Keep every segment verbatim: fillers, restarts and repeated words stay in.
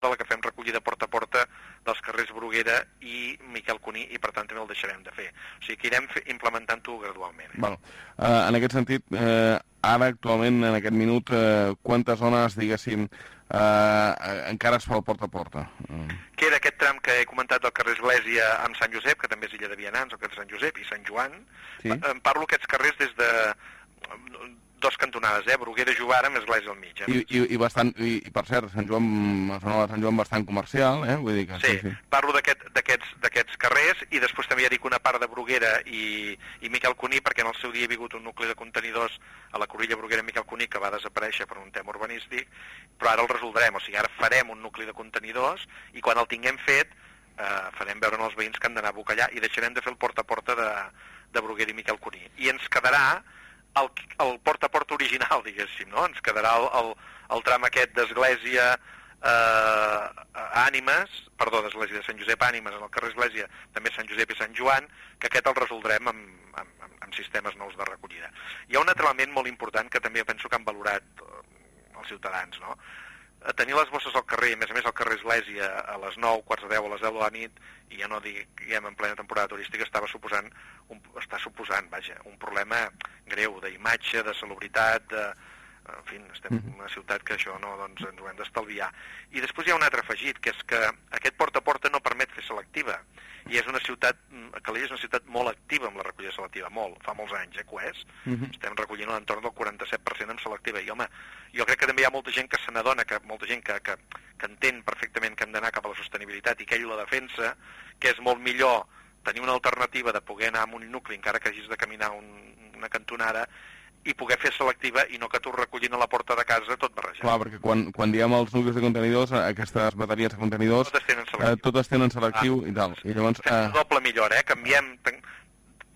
de la que fem recollida porta a porta dels carrers Bruguera i Miquel Cuní, i per tant també el deixarem de fer. O sigui que irem implementant-ho gradualment. Eh? Bueno, uh, en aquest sentit, uh, ara actualment, en aquest minut, uh, quantes zones, diguéssim, uh, encara es fa el porta a porta? Uh. Queda aquest tram que he comentat del carrer Església amb Sant Josep, que també és Illa de Vianants, el carrer Sant Josep i Sant Joan. Sí? En parlo aquests carrers des de dos cantonades, eh? Bruguera, Jovara, amb Església al mig. Eh? I, i, i, bastant, i, i per cert, Sant Joan, zona de Sant Joan bastant comercial, eh? Vull dir que, sí, sí, sí. Parlo d'aquests aquest, carrers, i després també ja dic una part de Bruguera i, i Miquel Cuní, perquè en el seu dia hi ha hagut un nucli de contenidors a la Cruïlla Bruguera Miquel Cuní que va desaparèixer per un tema urbanístic, però ara el resoldrem, o sigui, ara farem un nucli de contenidors i quan el tinguem fet eh, farem veure als veïns que han d'anar a Bocallà i deixarem de fer el porta a porta de, de Bruguera i Miquel Cuní. I ens quedarà el, el porta a porta original, diguéssim, no? Ens quedarà el, el, el tram aquest d'Església eh, Ànimes, perdó, d'Església de Sant Josep Ànimes, en el carrer Església, també Sant Josep i Sant Joan, que aquest el resoldrem amb, amb, amb sistemes nous de recollida. Hi ha un altre element molt important que també penso que han valorat els ciutadans, no? A tenir les bosses al carrer, a més a més al carrer Església a les nou, quarts de deu, a les deu de la nit, i ja no diguem en plena temporada turística, estava suposant, un, està suposant, vaja, un problema greu d'imatge, de salubritat, de... En fi, estem en una ciutat que això no, doncs ens ho hem d'estalviar. I després hi ha un altre afegit, que és que aquest porta a porta no permet fer selectiva. I és una ciutat, Calella és una ciutat molt activa amb la recollida selectiva, molt, fa molts anys, eh, que ho és. Uh-huh. Estem recollint a l'entorn del quaranta-set per cent en selectiva. I, home, jo crec que també hi ha molta gent que se n'adona, que molta gent que, que, que entén perfectament que hem d'anar cap a la sostenibilitat i que ell la defensa, que és molt millor tenir una alternativa de poder anar a un nucli, encara que hagis de caminar un, una cantonada, i poder fer selectiva i no que tu recollint a la porta de casa tot barrejat. Clar, perquè quan, quan diem els nuclis de contenidors, aquestes bateries de contenidors, totes tenen selectiu, eh, totes tenen selectiu ah, i tal. I llavors, fem eh... doble millora, eh? Canviem, tan,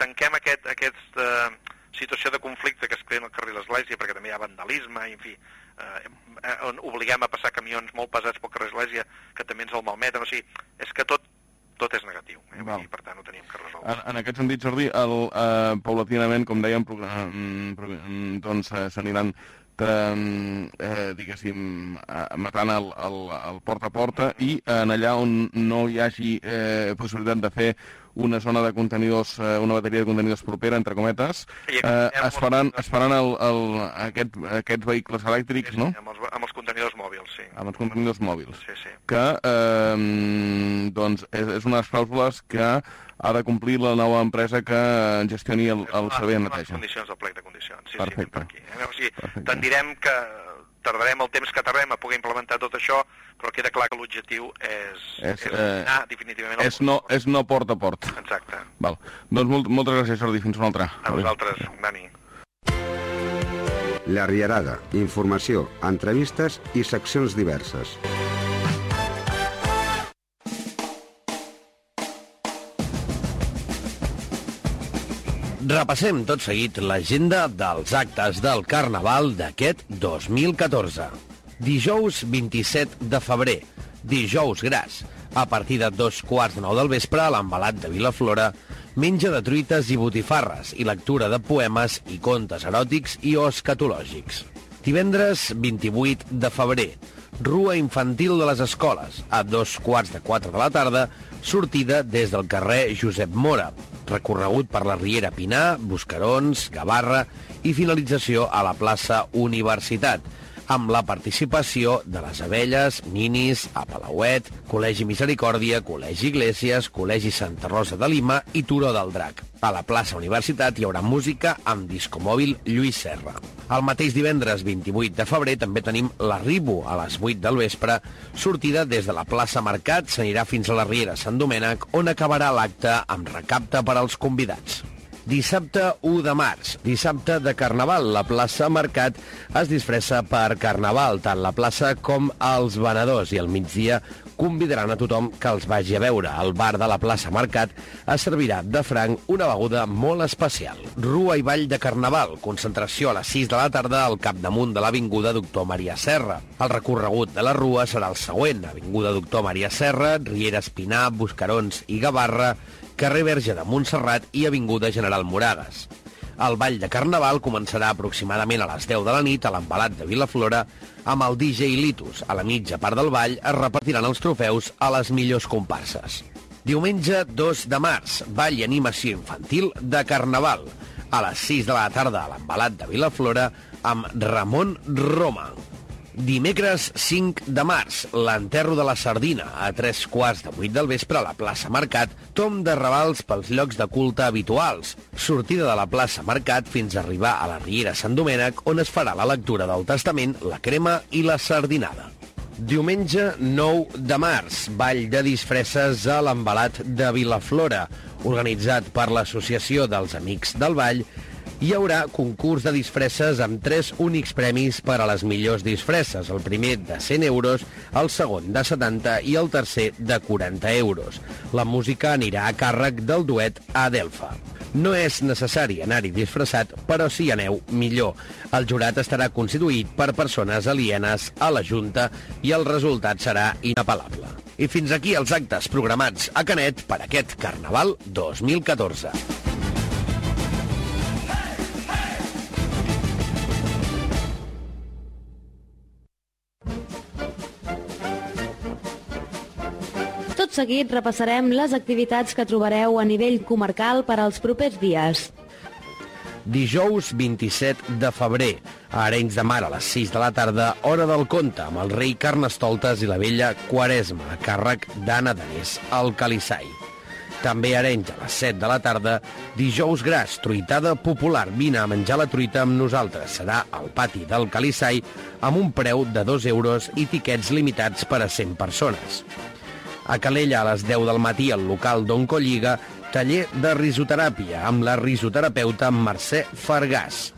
tanquem aquest, aquesta uh, situació de conflicte que es crea al carrer l'Església, perquè també hi ha vandalisme, i en fi, eh, on obliguem a passar camions molt pesats pel carrer l'Església, que també ens el malmeten, o sigui, és que tot tot és negatiu, eh? I per tant ho teníem que resoldre. En, en aquest sentit, Jordi, el, eh, paulatinament, com dèiem, doncs eh, s'aniran eh, diguéssim, matant el, el, el porta a porta i en allà on no hi hagi eh, possibilitat de fer una zona de contenidors, eh, una bateria de contenidors propera, entre cometes, eh, es faran, es faran el, el, aquest, aquests vehicles elèctrics, sí, sí, no? Amb els, amb els contenidors mòbils, sí. Amb els contenidors mòbils. Sí, sí. Que, eh, doncs, és, és una de les clàusules que ha de complir la nova empresa que gestioni el, el servei de neteja. Les condicions del plec de condicions, sí, perfecte. Sí, per aquí. Eh? O sigui, tendirem que tardarem el temps que tardem a poder implementar tot això, però queda clar que l'objectiu és, és, és eh, anar definitivament al és no, és no porta a porta. Exacte. Val. Doncs molt, moltes gràcies, Jordi. Fins una altra. A vosaltres, Dani. La Rierada. Informació, entrevistes i seccions diverses. Repassem tot seguit l'agenda dels actes del Carnaval d'aquest dos mil catorze. Dijous vint-i-set de febrer, dijous gras. A partir de dos quarts de nou del vespre, a l'Envelat de Vilaflora, menja de truites i botifarres i lectura de poemes i contes eròtics i o escatològics. Divendres vint-i-vuit de febrer, rua infantil de les escoles. A dos quarts de quatre de la tarda, sortida des del carrer Josep Mora, recorregut per la Riera Pinar, Buscarons, Gavarra i finalització a la plaça Universitat, amb la participació de les Abelles, Ninis, a Palauet, Col·legi Misericòrdia, Col·legi Iglesias, Col·legi Santa Rosa de Lima i Turó del Drac. A la plaça Universitat hi haurà música amb discomòbil Lluís Serra. El mateix divendres vint-i-vuit de febrer també tenim l'Arribo a les vuit del vespre, sortida des de la plaça Mercat, s'anirà fins a la Riera Sant Domènec, on acabarà l'acte amb recapte per als convidats. Dissabte u de març, dissabte de Carnaval, la plaça Mercat es disfressa per Carnaval, tant la plaça com els venedors, i al migdia convidaran a tothom que els vagi a veure. Al bar de la plaça Mercat es servirà de franc una beguda molt especial. Rua i ball de Carnaval, concentració a les sis de la tarda al capdamunt de l'Avinguda Doctor Maria Serra. El recorregut de la rua serà el següent: Avinguda Doctor Maria Serra, Riera Espinar, Buscarons i Gavarra, carrer Verge de Montserrat i Avinguda General Moragas. El ball de Carnaval començarà aproximadament a les deu de la nit a l'Envelat de Vilaflora amb el D J Litus. A la mitja part del ball es repartiran els trofeus a les millors comparses. Diumenge dos de març, ball i animació infantil de Carnaval. A les sis de la tarda a l'Envelat de Vilaflora amb Ramon Roma. Dimecres cinc de març, l'enterro de la sardina a tres quarts de vuit del vespre a la plaça Mercat, tomb de ravals pels llocs de culte habituals. Sortida de la plaça Mercat fins a arribar a la Riera Sant Domènec, on es farà la lectura del testament, la crema i la sardinada. Diumenge nou de març, ball de disfresses a l'Envelat de Vilaflora, organitzat per l'Associació dels Amics del Ball. Hi haurà concurs de disfresses amb tres únics premis per a les millors disfresses, el primer de cent euros, el segon de setanta i el tercer de quaranta euros. La música anirà a càrrec del duet Adelfa. No és necessari anar-hi disfressat, però si hi aneu, millor. El jurat estarà constituït per persones alienes a la Junta i el resultat serà inapel·lable. I fins aquí els actes programats a Canet per aquest Carnaval dos mil catorze. Tot seguit repassarem les activitats que trobareu a nivell comarcal per als propers dies. Dijous vint-i-set de febrer, a Arenys de Mar a les sis de la tarda, hora del conte, amb el rei Carnestoltes i la vella Quaresma, a càrrec d'Anna Danés, al Calissai. També a Arenys a les set de la tarda, dijous gras, truitada popular, vine a menjar la truita amb nosaltres. Serà al pati del Calissai amb un preu de dos euros i tiquets limitats per a cent persones. A Calella, a les deu del matí, al local d'Oncolliga, taller de risoteràpia amb la risoterapeuta Mercè Fargàs.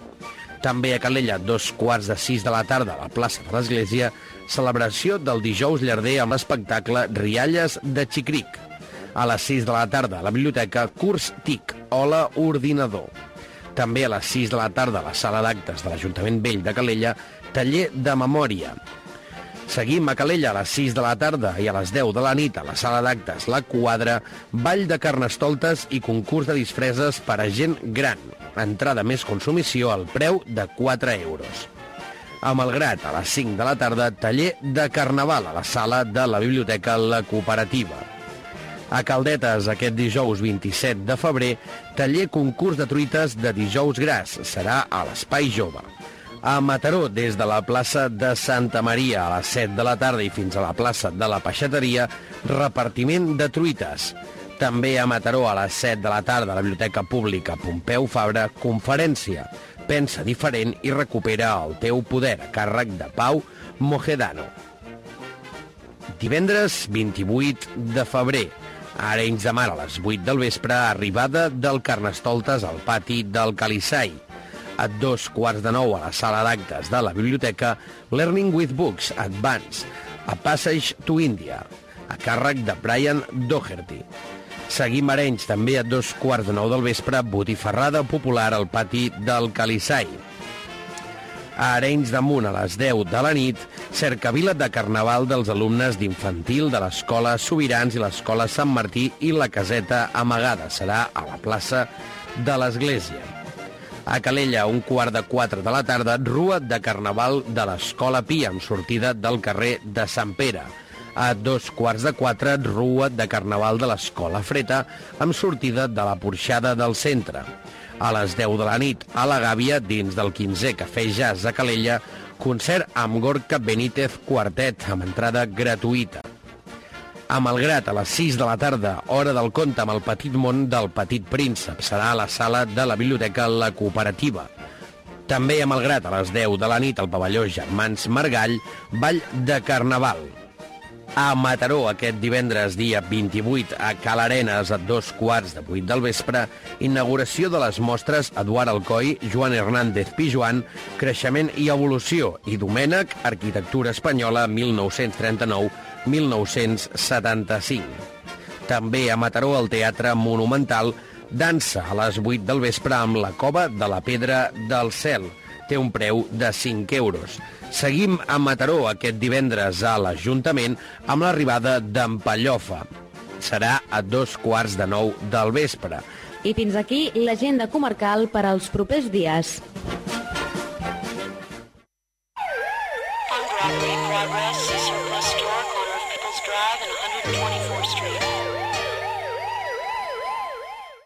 També a Calella, dos quarts de sis de la tarda, a la plaça de l'Església, celebració del dijous llarder amb l'espectacle Rialles de Xicric. A les sis de la tarda, a la biblioteca, curs T I C, Hola Ordinador. També a les sis de la tarda, a la sala d'actes de l'Ajuntament Vell de Calella, taller de memòria. Seguim a Calella a les sis de la tarda i a les deu de la nit a la sala d'actes La Quadra, ball de Carnestoltes i concurs de disfresses per a gent gran. Entrada més consumició al preu de quatre euros. A Malgrat, a les cinc de la tarda, taller de Carnaval a la sala de la Biblioteca La Cooperativa. A Caldetes, aquest dijous vint-i-set de febrer, taller concurs de truites de dijous gras. Serà a l'Espai Jove. A Mataró, des de la plaça de Santa Maria a les set de la tarda i fins a la plaça de la Peixateria, repartiment de truites. També a Mataró, a les set de la tarda, a la Biblioteca Pública Pompeu Fabra, conferència. Pensa diferent i recupera el teu poder, a càrrec de Pau Mojedano. Divendres vint-i-vuit de febrer, a Arenys de Mar, a les vuit del vespre, arribada del Carnestoltes al pati del Calissai. A dos quarts de nou a la sala d'actes de la biblioteca, Learning with Books Advance, a Passage to India, a càrrec de Brian Doherty. Seguim a Arenys, també a dos quarts de nou del vespre, botifarrada popular al pati del Calissai. A Arenys de Munt, a les deu de la nit, cercavila de Carnaval dels alumnes d'infantil de l'Escola Sobirans i l'Escola Sant Martí i la Caseta Amagada. Serà a la plaça de l'Església. A Calella, un quart de quatre de la tarda, rua de Carnaval de l'Escola Pia, amb sortida del carrer de Sant Pere. A dos quarts de quatre, rua de Carnaval de l'Escola Freta, amb sortida de la Porxada del centre. A les deu de la nit, a la Gàbia, dins del quinzè Cafè Jazz a Calella, concert amb Gorka Benítez Quartet, amb entrada gratuïta. A Malgrat, a les sis de la tarda, hora del conte amb el petit món del Petit Príncep. Serà a la sala de la Biblioteca La Cooperativa. També a Malgrat, a les deu de la nit, al pavelló Germans Margall, ball de Carnaval. A Mataró, aquest divendres, dia vint-i-vuit, a Cal Arenes, a dos quarts de vuit del vespre, inauguració de les mostres Eduard Alcoi, Joan Hernández Pijuan, Creixement i Evolució, i Domènec, Arquitectura Espanyola, mil nou-cents trenta-nou a mil nou-cents setanta-cinc. També a Mataró, al Teatre Monumental, dansa a les vuit del vespre amb la Cova de la Pedra del Cel. Té un preu de cinc euros. Seguim a Mataró aquest divendres a l'Ajuntament amb l'arribada d'en Pallofa. Serà a dos quarts de nou del vespre. I fins aquí l'agenda comarcal per als propers dies.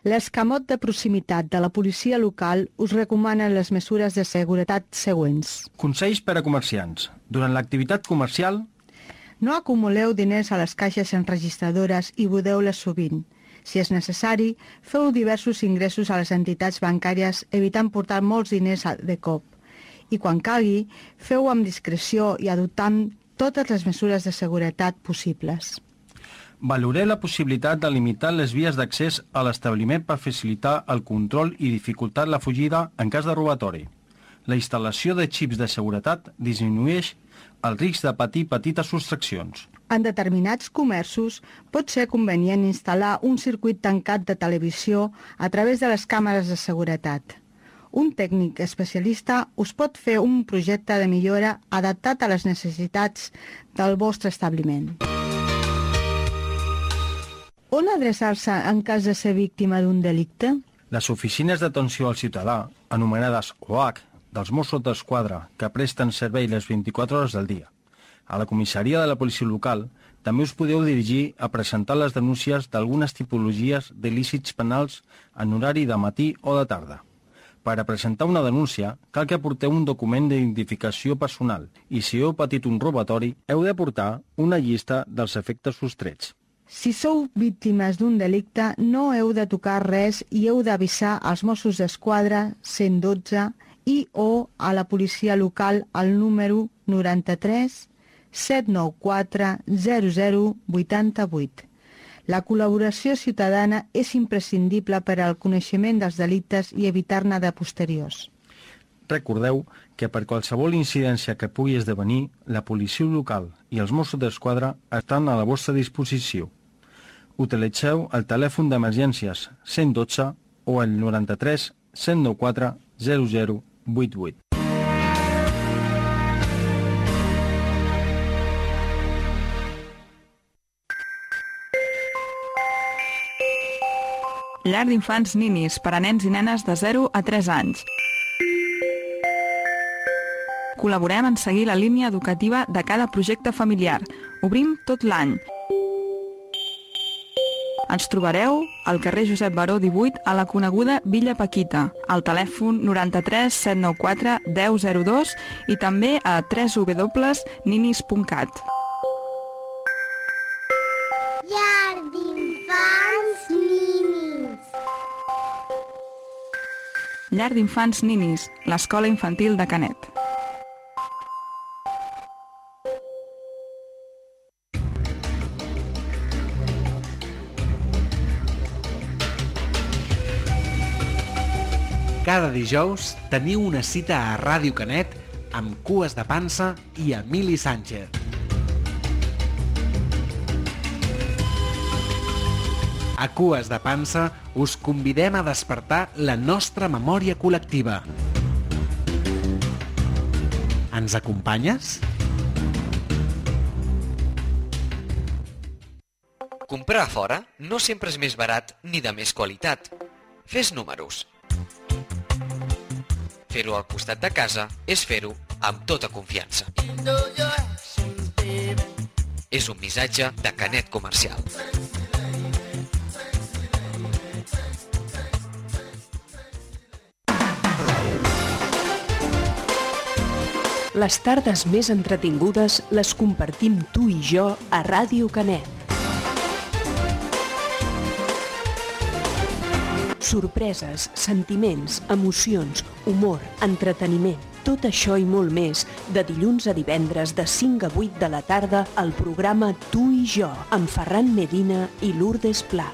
L'escamot de proximitat de la policia local us recomana les mesures de seguretat següents. Consells per a comerciants. Durant l'activitat comercial, no acumuleu diners a les caixes enregistradores i budeu-les sovint. Si és necessari, feu diversos ingressos a les entitats bancàries evitant portar molts diners de cop. I quan calgui, feu amb discreció i adoptant totes les mesures de seguretat possibles. valoreu la possibilitat de limitar les vies d'accés a l'establiment per facilitar el control i dificultar la fugida en cas de robatori. La instal·lació de xips de seguretat disminueix el risc de patir petites sostraccions. En determinats comerços pot ser convenient instal·lar un circuit tancat de televisió a través de les càmeres de seguretat. Un tècnic especialista us pot fer un projecte de millora adaptat a les necessitats del vostre establiment. On adreçar-se en cas de ser víctima d'un delicte? Les oficines d'atenció al ciutadà, anomenades O H, dels Mossos d'Esquadra, que presten servei les vint-i-quatre hores del dia. A la comissaria de la policia local també us podeu dirigir a presentar les denúncies d'algunes tipologies d'il·lícits penals en horari de matí o de tarda. Per a presentar una denúncia, cal que aporteu un document d'identificació personal i si heu patit un robatori, heu d'aportar una llista dels efectes sostrets. Si sou víctimes d'un delicte, no heu de tocar res i heu d'avisar als Mossos d'Esquadra cent dotze i o a la policia local al número noranta-tres set nou quatre zero zero vuitanta-vuit. La col·laboració ciutadana és imprescindible per al coneixement dels delictes i evitar-ne de posteriors. Recordeu que per qualsevol incidència que pugui esdevenir, la policia local i els Mossos d'Esquadra estan a la vostra disposició. Utilitzeu el telèfon d'emergències cent dotze o el noranta-tres set nou quatre zero zero vuit vuit. Llar d'infants Ninis per a nens i nenes de zero a tres anys. Col·laborem en seguir la línia educativa de cada projecte familiar. Obrim tot l'any. Ens trobareu al carrer Josep Baró divuit a la coneguda Villa Paquita, al telèfon noranta-tres set nou quatre deu zero dos i també a w w w punt ninis punt cat. Llar d'infants Ninis. Llar d'infants Ninis, l'escola infantil de Canet. Cada dijous teniu una cita a Ràdio Canet amb Cues de Pansa i Emili Sánchez. A Cues de Pansa us convidem a despertar la nostra memòria col·lectiva. Ens acompanyes? Comprar a fora no sempre és més barat ni de més qualitat. Fes números. Fer-ho al costat de casa és fer-ho amb tota confiança. És un missatge de Canet Comercial. Les tardes més entretingudes les compartim tu i jo a Ràdio Canet. Sorpreses, sentiments, emocions, humor, entreteniment, tot això i molt més, de dilluns a divendres de cinc a vuit de la tarda al programa Tu i jo, amb Ferran Medina i Lourdes Pla.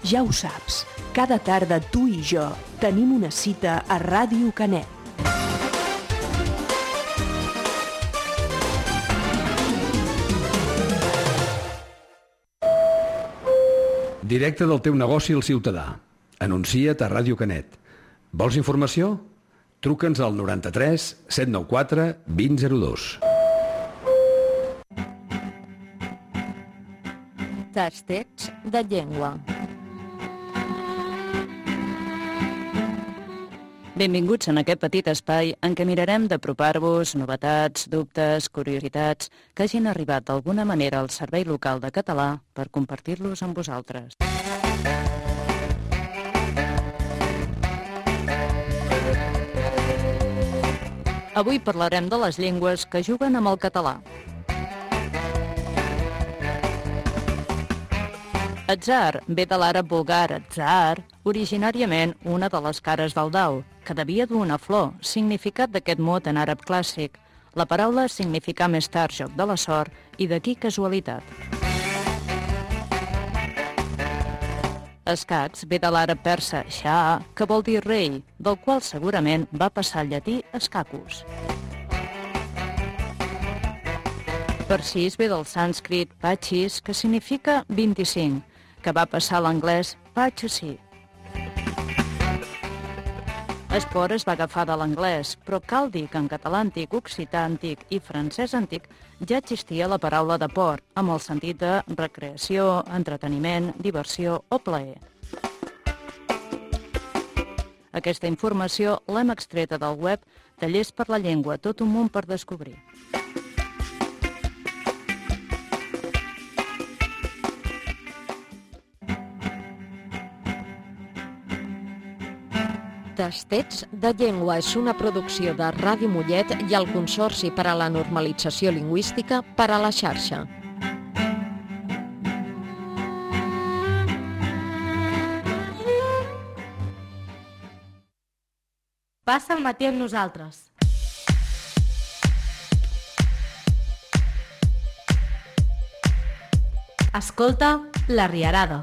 Ja ho saps, cada tarda tu i jo tenim una cita a Ràdio Canet. Directe del teu negoci al ciutadà. Anuncia't a Ràdio Canet. Vols informació? Truca'ns al noranta-tres set nou quatre vint zero dos. Tastets de llengua. Benvinguts en aquest petit espai en què mirarem d'apropar-vos novetats, dubtes, curiositats que hagin arribat d'alguna manera al Servei Local de Català per compartir-los amb vosaltres. Avui parlarem de les llengües que juguen amb el català. Atzar ve de l'àrab vulgar atzar, originàriament una de les cares del dau, que devia dur una flor, significat d'aquest mot en àrab clàssic. La paraula significa més tard joc de la sort i d'aquí casualitat. Escacs ve de l'àrab persa shah, que vol dir rei, del qual segurament va passar al llatí escacus. Parsis ve del sànscrit pachis, que significa vint-i-cinc, que va passar a l'anglès pachisi. Esport es va agafar de l'anglès, però cal dir que en català antic, occità antic i francès antic ja existia la paraula de port, amb el sentit de recreació, entreteniment, diversió o plaer. Aquesta informació l'hem extreta del web Tallers per la Llengua, tot un món per descobrir. Tastets de llengua és una producció de Ràdio Mollet i el Consorci per a la Normalització Lingüística per a la xarxa. Passa el matí amb nosaltres. Escolta La Riarada.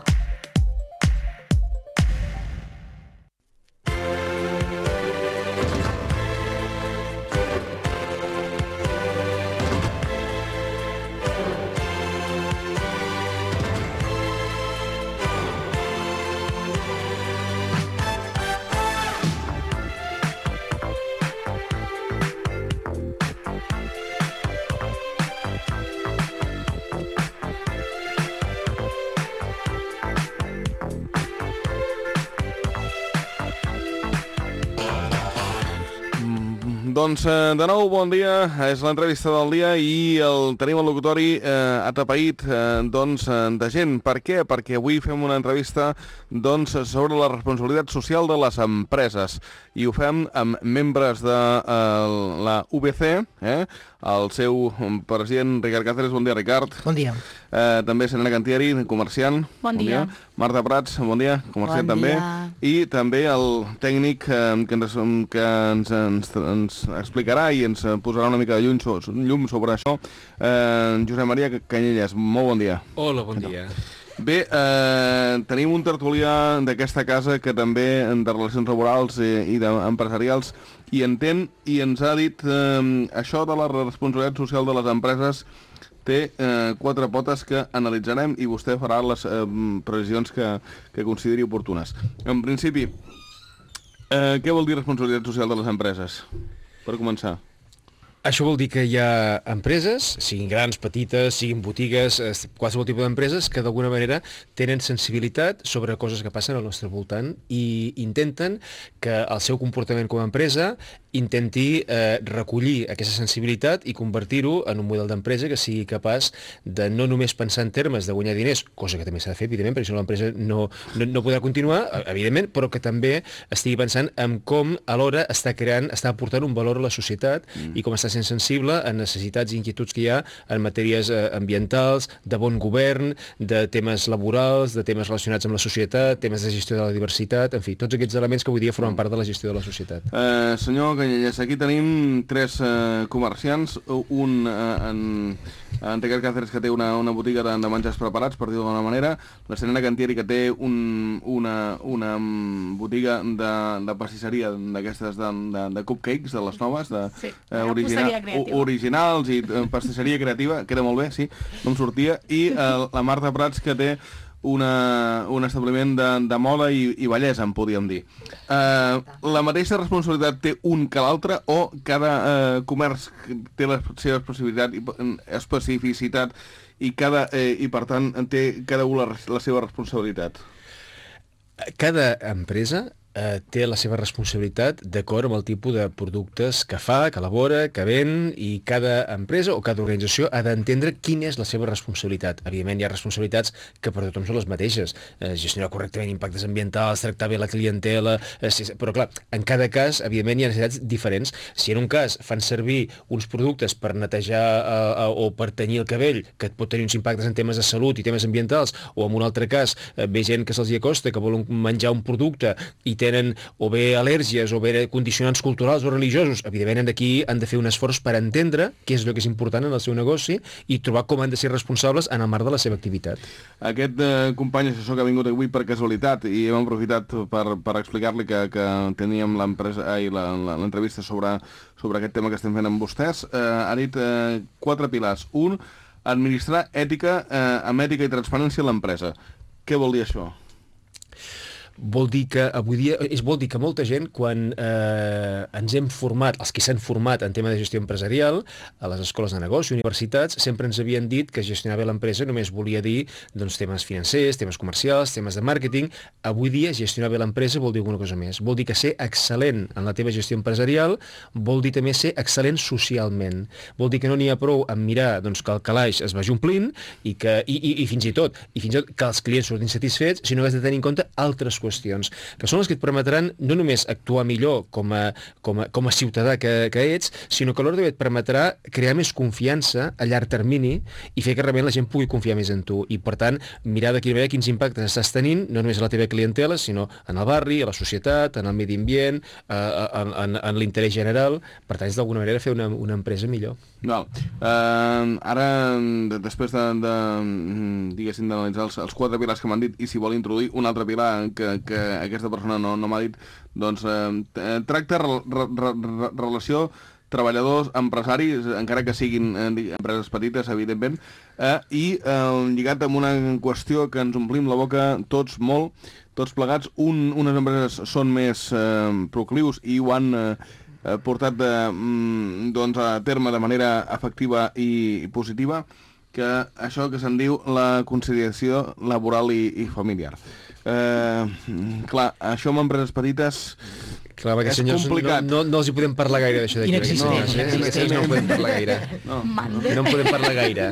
Doncs de nou, bon dia, és l'entrevista del dia i el tenim al locutori eh, atapeït eh, doncs, de gent. Per què? Perquè avui fem una entrevista doncs, sobre la responsabilitat social de les empreses i ho fem amb membres de eh, la U B C, eh, el seu president Ricard Cáceres. Bon dia, Ricard. Bon dia. Eh, també Serena Cantieri, comerciant. Bon dia. Bon dia. Marta Prats, bon dia, comerciant bon també. Dia. I també el tècnic eh, que, ens, que ens, ens, ens explicarà i ens posarà una mica de llum, llum sobre això, eh, Josep Maria Canyelles. Molt bon dia. Hola, bon dia. Bé, eh, tenim un tertulià d'aquesta casa que també de relacions laborals i, i d'empresarials i entén i ens ha dit eh, això de la responsabilitat social de les empreses té eh, quatre potes que analitzarem i vostè farà les eh, previsions que, que consideri oportunes. En principi, eh, què vol dir responsabilitat social de les empreses? Per començar. Això vol dir que hi ha empreses, siguin grans, petites, siguin botigues, qualsevol tipus d'empreses que d'alguna manera tenen sensibilitat sobre coses que passen al nostre voltant i intenten que el seu comportament com a empresa intenti eh, recollir aquesta sensibilitat i convertir-ho en un model d'empresa que sigui capaç de no només pensar en termes de guanyar diners, cosa que també s'ha de fer, evidentment, perquè si no l'empresa no, no, no podrà continuar, evidentment, però que també estigui pensant en com alhora està creant, està aportant un valor a la societat mm. i com està sent sensible a necessitats i inquietuds que hi ha en matèries eh, ambientals, de bon govern, de temes laborals, de temes relacionats amb la societat, temes de gestió de la diversitat, en fi, tots aquests elements que avui dia formen part de la gestió de la societat. Uh, senyor Canyelles, aquí tenim tres uh, comerciants, un uh, en, en Ricard Cáceres, que té una, una botiga de, de menjars preparats, per dir-ho d'una manera, la Serena Cantieri, que té un, una, una botiga de, de pastisseria d'aquestes de, de, de cupcakes, de les noves, de, sí, uh, original, originals i uh, pastisseria creativa, queda molt bé, sí, no em sortia, i uh, la Marta Prats, que té una, un establiment de, de moda i, i bellesa, en podríem dir. Eh, la mateixa responsabilitat té un que l'altre o cada eh, comerç té la seva especificitat i, especificitat i, cada, eh, i per tant té cada un la, la seva responsabilitat? Cada empresa eh, té la seva responsabilitat d'acord amb el tipus de productes que fa, que elabora, que ven, i cada empresa o cada organització ha d'entendre quina és la seva responsabilitat. Evidentment hi ha responsabilitats que per tothom són les mateixes. Eh, gestionar correctament impactes ambientals, tractar bé la clientela, eh, sí, però clar, en cada cas, evidentment, hi ha necessitats diferents. Si en un cas fan servir uns productes per netejar eh, o per tenyir el cabell, que et pot tenir uns impactes en temes de salut i temes ambientals, o en un altre cas eh, ve gent que se'ls hi acosta, que volen menjar un producte i tenen o bé al·lèrgies o bé condicionants culturals o religiosos, evidentment d'aquí han de fer un esforç per entendre què és el que és important en el seu negoci i trobar com han de ser responsables en el marc de la seva activitat. Aquest eh, company assessor que ha vingut avui per casualitat i hem aprofitat per, per explicar-li que, que teníem l'entrevista sobre, sobre aquest tema que estem fent amb vostès, eh, ha dit eh, quatre pilars. Un, administrar ètica eh, amb ètica i transparència a l'empresa. Què vol dir això? Vol dir que avui dia, és vol dir que molta gent, quan eh, ens hem format, els que s'han format en tema de gestió empresarial, a les escoles de negoci, universitats, sempre ens havien dit que gestionar bé l'empresa només volia dir doncs, temes financers, temes comercials, temes de màrqueting. Avui dia gestionar bé l'empresa vol dir alguna cosa més. Vol dir que ser excel·lent en la teva gestió empresarial vol dir també ser excel·lent socialment. Vol dir que no n'hi ha prou en mirar doncs, que el calaix es vagi omplint i, que, i, i, i fins i tot i fins i tot que els clients surtin satisfets, sinó que has de tenir en compte altres qüestions, que són les que et permetran no només actuar millor com a, com a, com a ciutadà que, que ets, sinó que alhora també et permetrà crear més confiança a llarg termini i fer que realment la gent pugui confiar més en tu. I, per tant, mirar de quina manera quins impactes estàs tenint, no només a la teva clientela, sinó en el barri, a la societat, en el medi ambient, eh, en, en, en l'interès general. Per tant, és d'alguna manera fer una, una empresa millor. Val. Uh, ara, després de, de diguéssim, d'analitzar els, els quatre pilars que m'han dit, i si vol introduir un altre pilar que, que aquesta persona no, no m'ha dit, doncs eh, tracta re, re, re, relació treballadors, empresaris, encara que siguin eh, empreses petites, evidentment, eh, i eh, lligat amb una qüestió que ens omplim la boca tots molt, tots plegats. Un, unes empreses són més eh, proclius i ho han eh, portat de, doncs, a terme de manera efectiva i positiva, que això que se'n diu la conciliació laboral i, i familiar. Eh, clar, això amb empreses petites clar, és senyors, complicat. No, no, no els hi podem parlar gaire d'això d'aquí. Inexistent. No, inexistent. No, no en podem parlar gaire. No, no en podem parlar gaire.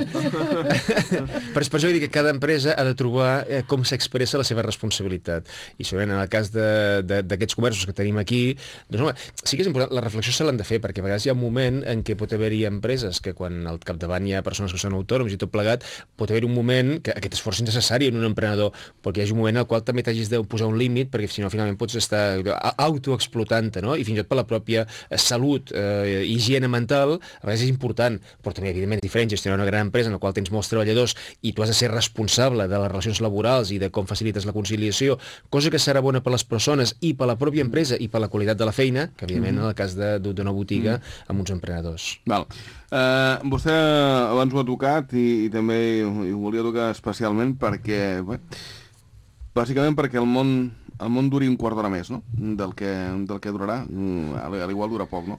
Però és per això que dic que cada empresa ha de trobar eh, com s'expressa la seva responsabilitat. I segurament en el cas d'aquests comerços que tenim aquí, doncs home, sí que és important, la reflexió se l'han de fer, perquè a vegades hi ha un moment en què pot haver-hi empreses que quan al capdavant hi ha persones que són autònoms i tot plegat, pot haver-hi un moment que aquest esforç és necessari en un emprenedor, perquè hi hagi un moment en el qual també t'hagis de posar un límit, perquè si no finalment pots estar autoexplotant, no? I fins i tot per la pròpia salut, eh, higiene mental, a vegades és important, però també evidentment és diferent gestionar una gran empresa en la qual tens molts treballadors i tu has de ser responsable de les relacions laborals i de com facilites la conciliació, cosa que serà bona per les persones i per la pròpia empresa i per la qualitat de la feina, que evidentment mm. en el cas d'una botiga mm. amb uns emprenedors. Val. Uh, vostè abans ho ha tocat i, i també ho volia tocar especialment perquè, bé, bàsicament perquè el món el món duri un quart d'hora més, no?, del que, del que durarà, a l'igual dura poc, no?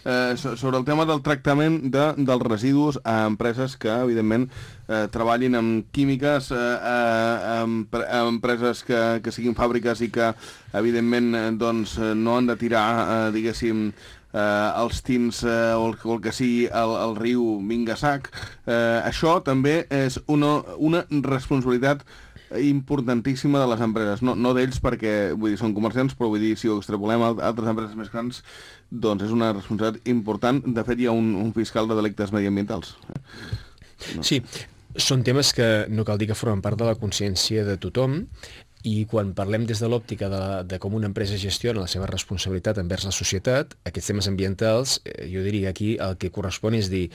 Eh, sobre el tema del tractament de, dels residus a empreses que, evidentment, eh, treballin amb químiques, eh, eh, amb, amb empreses que, que siguin fàbriques i que, evidentment, eh, doncs, no han de tirar, eh, diguéssim, eh, els tins eh, o, el, o el que sigui al, al riu Mingasac. Eh, això també és una, una responsabilitat importantíssima de les empreses, no, no d'ells perquè vull dir, són comerciants, però vull dir, si ho extrapolem a altres empreses més grans, doncs és una responsabilitat important. De fet, hi ha un, un fiscal de delictes mediambientals. No. Sí, són temes que no cal dir que formen part de la consciència de tothom, i quan parlem des de l'òptica de, de com una empresa gestiona la seva responsabilitat envers la societat, aquests temes ambientals, eh, jo diria aquí el que correspon és dir,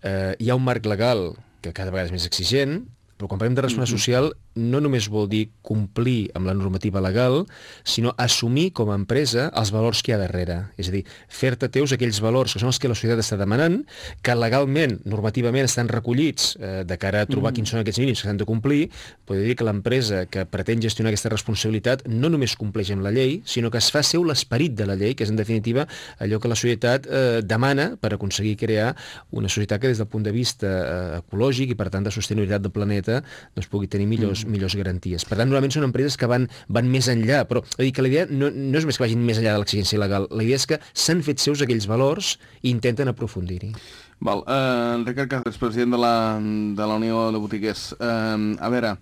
eh, hi ha un marc legal que cada vegada és més exigent, però quan parlem de responsabilitat social no només vol dir complir amb la normativa legal, sinó assumir com a empresa els valors que hi ha darrere. És a dir, fer-te teus aquells valors que són els que la societat està demanant, que legalment, normativament, estan recollits eh, de cara a trobar mm. quins són aquests mínims que s'han de complir. Podria dir que l'empresa que pretén gestionar aquesta responsabilitat no només compleix amb la llei, sinó que es fa seu l'esperit de la llei, que és en definitiva allò que la societat eh, demana per aconseguir crear una societat que des del punt de vista eh, ecològic i per tant de sostenibilitat del planeta doncs, pugui tenir millors millors garanties. Per tant, normalment són empreses que van, van més enllà, però dir que la idea no, no és més que vagin més enllà de l'exigència legal, la idea és que s'han fet seus aquells valors i intenten aprofundir-hi. Val, eh, Ricard Cáceres, president de la, de la Unió de Botiguers. Eh, a veure,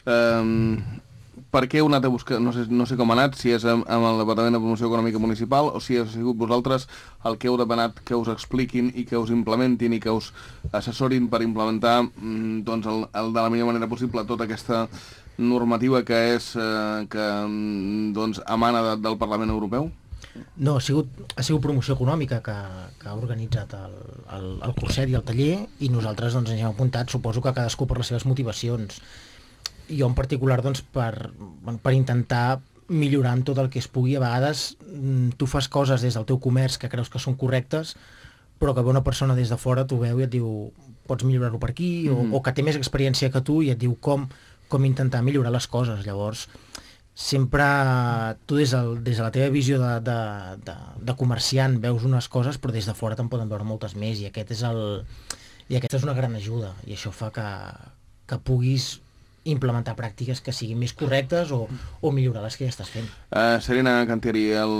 eh, per què heu anat a buscar, no sé, no sé com ha anat, si és amb, amb el Departament de Promoció Econòmica Municipal o si ha sigut vosaltres el que heu demanat que us expliquin i que us implementin i que us assessorin per implementar doncs, el, el de la millor manera possible tota aquesta normativa que és eh, que doncs, emana de, del Parlament Europeu? No, ha sigut, ha sigut Promoció Econòmica que, que ha organitzat el, el, el curset i el taller i nosaltres doncs, ens hem apuntat, suposo que cadascú per les seves motivacions. Jo en particular doncs, per, per intentar millorar en tot el que es pugui. A vegades tu fas coses des del teu comerç que creus que són correctes, però que ve una persona des de fora t'ho veu i et diu pots millorar-ho per aquí, o, mm. o que té més experiència que tu i et diu com, com intentar millorar les coses. Llavors, sempre tu des, del, des de la teva visió de, de, de, de comerciant veus unes coses, però des de fora te'n poden veure moltes més, i aquest és el, i aquesta és una gran ajuda, i això fa que, que puguis implementar pràctiques que siguin més correctes o, o millorar les que ja estàs fent. Uh, Serena Cantieri, el,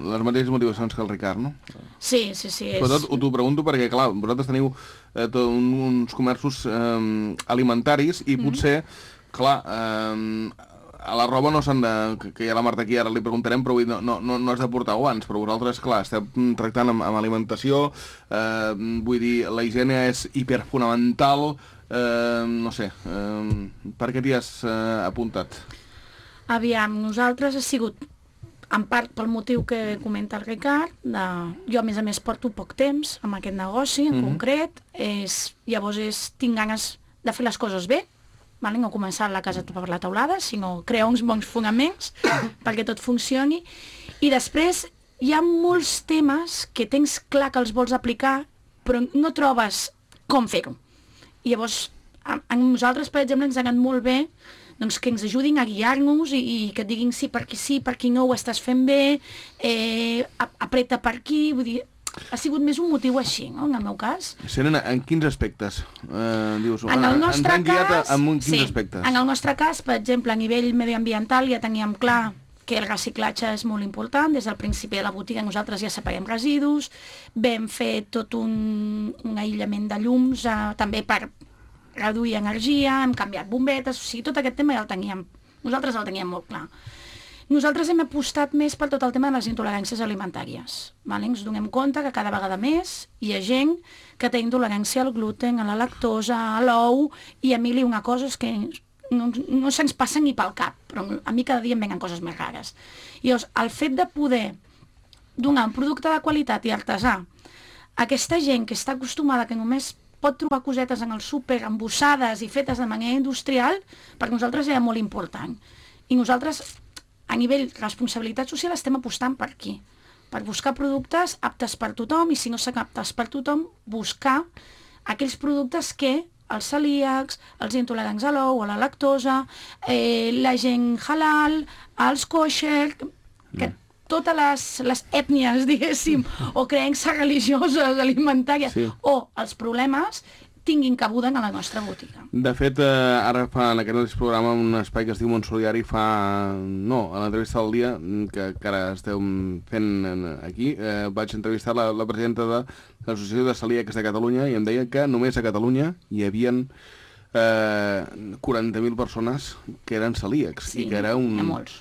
les mateixes motivacions que el Ricard, no? Sí, sí, sí. És... Però tot t'ho pregunto perquè, clar, vosaltres teniu eh, tot, uns comerços eh, alimentaris i potser, mm-hmm. clar, eh, a la roba no s'han de... que hi ha la Marta aquí, ara li preguntarem, però no, no, no has de portar guants, però vosaltres, clar, esteu tractant amb, amb alimentació, eh, vull dir, la higiene és hiperfonamental. Uh, no sé, uh, per què t'hi has uh, apuntat? Aviam, nosaltres ha sigut en part pel motiu que comenta el Ricard, de... jo a més a més porto poc temps amb aquest negoci en mm-hmm. concret, és... llavors és... tinc ganes de fer les coses bé, vale? No començar la casa per la teulada, sinó crear uns bons fonaments perquè tot funcioni, i després hi ha molts temes que tens clar que els vols aplicar però no trobes com fer-ho. I llavors, a, a nosaltres, per exemple, ens ha anat molt bé doncs, que ens ajudin a guiar-nos i, i que et diguin sí, per aquí sí, per aquí no, ho estàs fent bé, eh, apreta per aquí, vull dir, ha sigut més un motiu així, no?, en el meu cas. Serena, en quins aspectes? Eh, dius, en el nostre ens han guiat cas, en quins sí, aspectes? En el nostre cas, per exemple, a nivell medioambiental ja teníem clar que el reciclatge és molt important. Des del principi de la botiga nosaltres ja separem residus, vam fer tot un, un aïllament de llums, eh, també per reduir energia, hem canviat bombetes, o sigui, tot aquest tema ja el teníem, nosaltres el teníem molt clar. Nosaltres hem apostat més per tot el tema de les intoleràncies alimentàries. Vale? Ens donem compte que cada vegada més hi ha gent que té intolerància al gluten, a la lactosa, a l'ou, i a mi li una cosa és que no, no se'ns passa ni pel cap, però a mi cada dia em venen coses més rares. I llavors, el fet de poder donar un producte de qualitat i artesà a aquesta gent que està acostumada, que només pot trobar cosetes en el súper embossades i fetes de manera industrial, per nosaltres era molt important. I nosaltres, a nivell responsabilitat social, estem apostant per aquí, per buscar productes aptes per tothom, i si no són aptes per tothom, buscar aquells productes que els celíacs, els intolerants a l'ou, a la lactosa, eh, la gent halal, els kosher, que mm. totes les, les ètnies, diguéssim, o creences religioses, alimentàries, sí. o els problemes tinguin cabuda en la nostra botiga. De fet, eh, ara fa en aquest programa un espai que es diu Món Solidari, fa... no, a l'entrevista del dia, que, que ara esteu fent aquí, eh, vaig entrevistar la, la presidenta de l'Associació de Celíacs de Catalunya i em deia que només a Catalunya hi havien eh, quaranta mil persones que eren celíacs. Sí, i que era un... hi ha molts.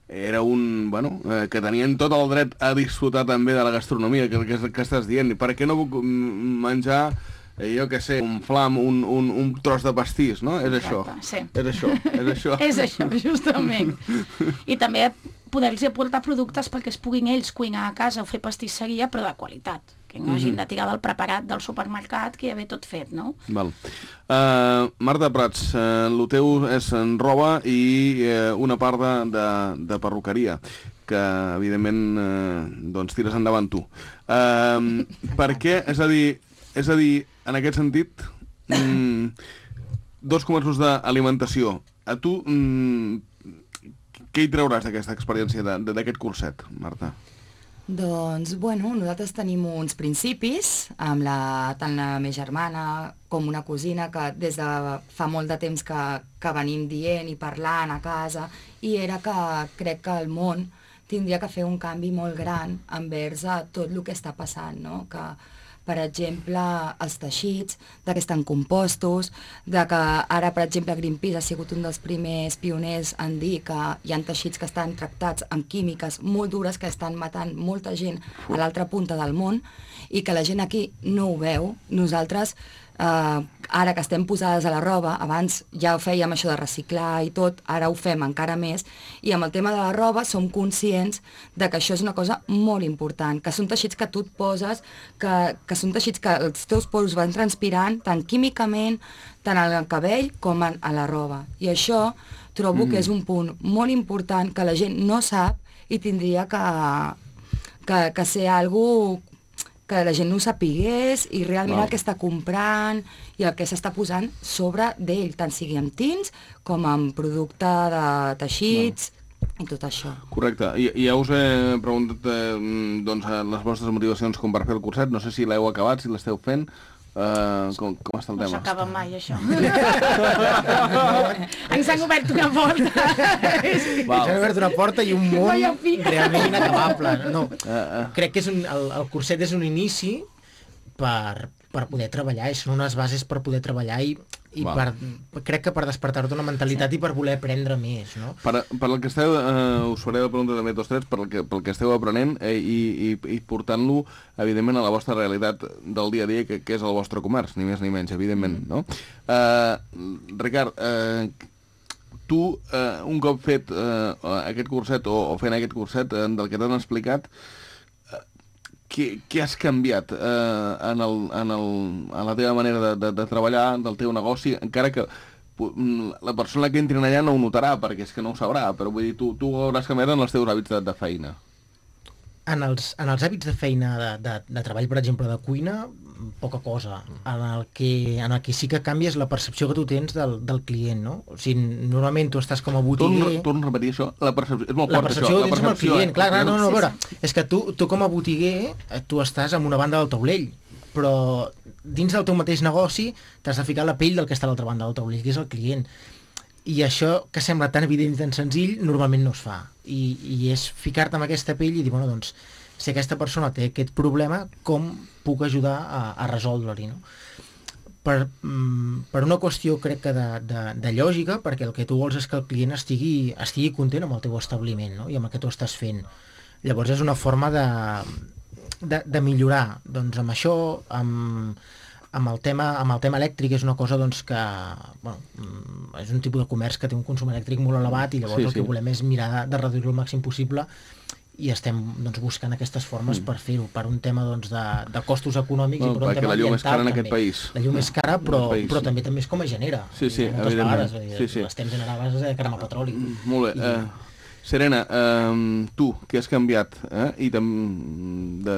Era un... bueno, eh, que tenien tot el dret a disfrutar també de la gastronomia, que, que, que estàs dient. Per què no puc menjar... Eh, jo què sé, un flam, un, un, un tros de pastís, no? És això. Sí. És això, és això. És això, justament. I també poder-los aportar productes perquè es puguin ells cuinar a casa o fer pastisseria, però de qualitat, que que no hagin de tirar del preparat del supermercat que ja ve tot fet, no? Val. Uh, Marta Prats, uh, el teu és en roba i uh, una part de, de, de perruqueria, que evidentment uh, doncs tires endavant tu. Uh, per què? És a dir, és a dir, en aquest sentit, mm, dos comerços d'alimentació. A tu, mm, què hi trauràs d'aquesta experiència, d'aquest curset, Marta? Doncs, bueno, nosaltres tenim uns principis, amb la, tant la meva germana com una cosina, que des de fa molt de temps que, que venim dient i parlant a casa, i era que crec que el món tindria que fer un canvi molt gran envers a tot el que està passant, no? Que, per exemple, els teixits, de que estan compostos, de que ara, per exemple, Greenpeace ha sigut un dels primers pioners en dir que hi ha teixits que estan tractats amb químiques molt dures que estan matant molta gent a l'altra punta del món i que la gent aquí no ho veu. Nosaltres, eh, ara que estem posades a la roba, abans ja ho fèiem això de reciclar i tot, ara ho fem encara més, i amb el tema de la roba som conscients de que això és una cosa molt important, que són teixits que tu et poses, que, que són teixits que els teus poros van transpirant, tant químicament, tant al cabell com a, a la roba. I això trobo mm. que és un punt molt important que la gent no sap i tindria que, que, que ser algo que la gent no ho sapigués i realment wow. el que està comprant i el que s'està posant sobre d'ell, tant sigui amb tints com amb producte de teixits wow. i tot això. Correcte. I, i ja us he preguntat eh, doncs, les vostres motivacions com per fer el curset. No sé si l'heu acabat, si l'esteu fent. Uh, com, com està el tema? No s'acaba mai, això. Ens han obert una porta. Ens han obert una porta i un món realment inacabable. No, uh, uh. Crec que és un, el, el curset és un inici per, per poder treballar, i són unes bases per poder treballar i, i per, crec que per despertar-te una mentalitat sí. i per voler aprendre més, no? Per, per el que esteu, eh, us faré la pregunta també tots tres, per el que, pel que esteu aprenent eh, i, i, i portant-lo, evidentment, a la vostra realitat del dia a dia, que, que és el vostre comerç, ni més ni menys, evidentment, no? Eh, Ricard, eh, tu, eh, un cop fet eh, aquest curset, o, o fent aquest curset, eh, del que t'han explicat, Què, què has canviat eh, en, el, en, el, en la teva manera de, de, de treballar, del teu negoci, encara que la persona que entri allà no ho notarà, perquè és que no ho sabrà, però vull dir, tu, tu hauràs canviat en els teus hàbits de, de feina. En els, en els hàbits de feina, de, de, de treball, per exemple, de cuina, poca cosa. En el, que, en el que sí que canvia és la percepció que tu tens del, del client, no? O sigui, normalment tu estàs com a botiguer... Torno, torno a repetir això, la percepció, és molt la fort percepció això. La percepció que tens amb el client, clar, clar, no, no, no, a veure, és que tu, tu com a botiguer, tu estàs en una banda del taulell, però dins del teu mateix negoci t'has de ficar la pell del que està a l'altra banda del taulell, que és el client. I això, que sembla tan evident i tan senzill, normalment no es fa. I, i és ficar-te amb aquesta pell i dir, bueno, doncs, si aquesta persona té aquest problema, com puc ajudar a, a resoldre-li, no? Per, per una qüestió, crec que de, de, de lògica, perquè el que tu vols és que el client estigui, estigui content amb el teu establiment, no? I amb el que tu estàs fent. Llavors és una forma de, de, de millorar. Doncs amb això, amb, amb, el tema, amb el tema elèctric és una cosa doncs, que bueno, és un tipus de comerç que té un consum elèctric molt elevat i llavors sí, el que sí. volem és mirar de, de reduir-lo al màxim possible i estem doncs, buscant aquestes formes mm. per fer-ho, per un tema doncs, de, de costos econòmics no, i per un tema la llum és cara en aquest també. país. La llum és cara, però, país, però sí. també també és com a genera. Sí, sí, moltes vegades, sí, sí. l'estem generant a base de cremar petroli. Molt bé. I... Uh, Serena, uh, tu, què has canviat? Eh? I de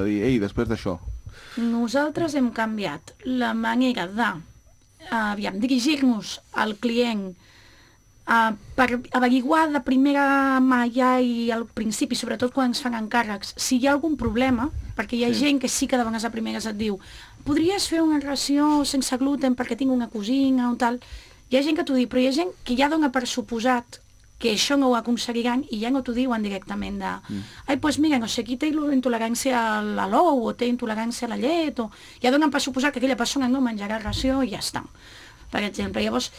dir, ei, després d'això. Nosaltres hem canviat la manera de aviam, dirigir-nos al client Uh, per averiguar de primera mà ja i al principi, sobretot quan ens fan encàrrecs, si hi ha algun problema, perquè hi ha sí. gent que sí que de vegades a primeres et diu podries fer una ració sense gluten perquè tinc una cosina o tal. Hi ha gent que t'ho diu, però hi ha gent que ja dona per suposat que això no ho aconseguiran i ja no t'ho diuen directament de mm. ai, doncs pues mira, no sé, qui té intolerància a l'alou o té intolerància a la llet o ja donen per suposat que aquella persona no menjarà ració i ja està. Per exemple, llavors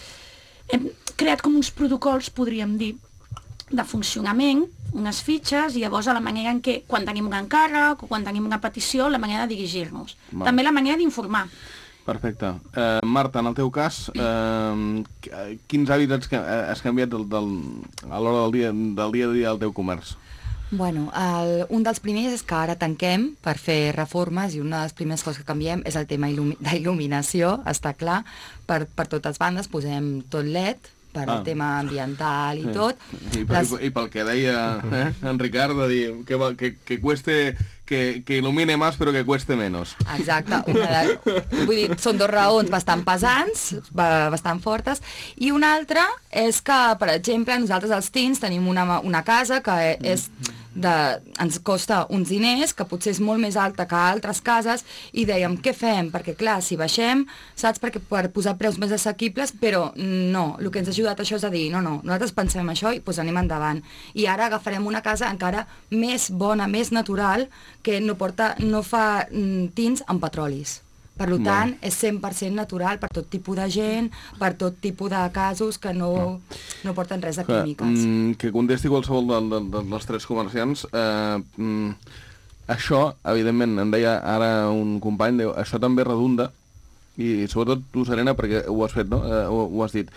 hem creat com uns protocols, podríem dir, de funcionament, unes fitxes, i llavors a la manera en què, quan tenim un encàrrec o quan tenim una petició, la manera de dirigir-nos. Va. També la manera d'informar. Perfecte. Eh, Marta, en el teu cas, eh, quins hàbits has canviat del, del, a l'hora del dia, del dia a dia del teu comerç? Bueno, el, un dels primers és que ara tanquem per fer reformes i una de les primeres coses que canviem és el tema il·lumi- d'il·luminació, està clar, per, per totes bandes posem tot L E D, per ah. el tema ambiental i sí. tot. I, Les... i, I pel que deia eh, en Ricard, de dir que, que, que cueste... Que, que il·lumine més però que cueste menys. Exacte. Una de, vull dir, són dos raons bastant pesants, bastant fortes, i una altra és que, per exemple, nosaltres els teens tenim una, una casa que és de, ens costa uns diners, que potser és molt més alta que altres cases, i dèiem, què fem? Perquè, clar, si baixem, saps, perquè per posar preus més assequibles, però no, el que ens ha ajudat això és a dir, no, no, nosaltres pensem això i doncs anem endavant. I ara agafarem una casa encara més bona, més natural, que no, porta, no fa mm, tints amb petrolis. Per tant, és cent per cent natural per tot tipus de gent, per tot tipus de casos que no, no porten res de químiques. Que, que contesti qualsevol de, de, de, dels tres comerciants. Eh, mm, això, evidentment, em deia ara un company, diu, això també redunda, i sobretot tu, Serena, perquè ho has fet, no? Eh, ho, ho has dit,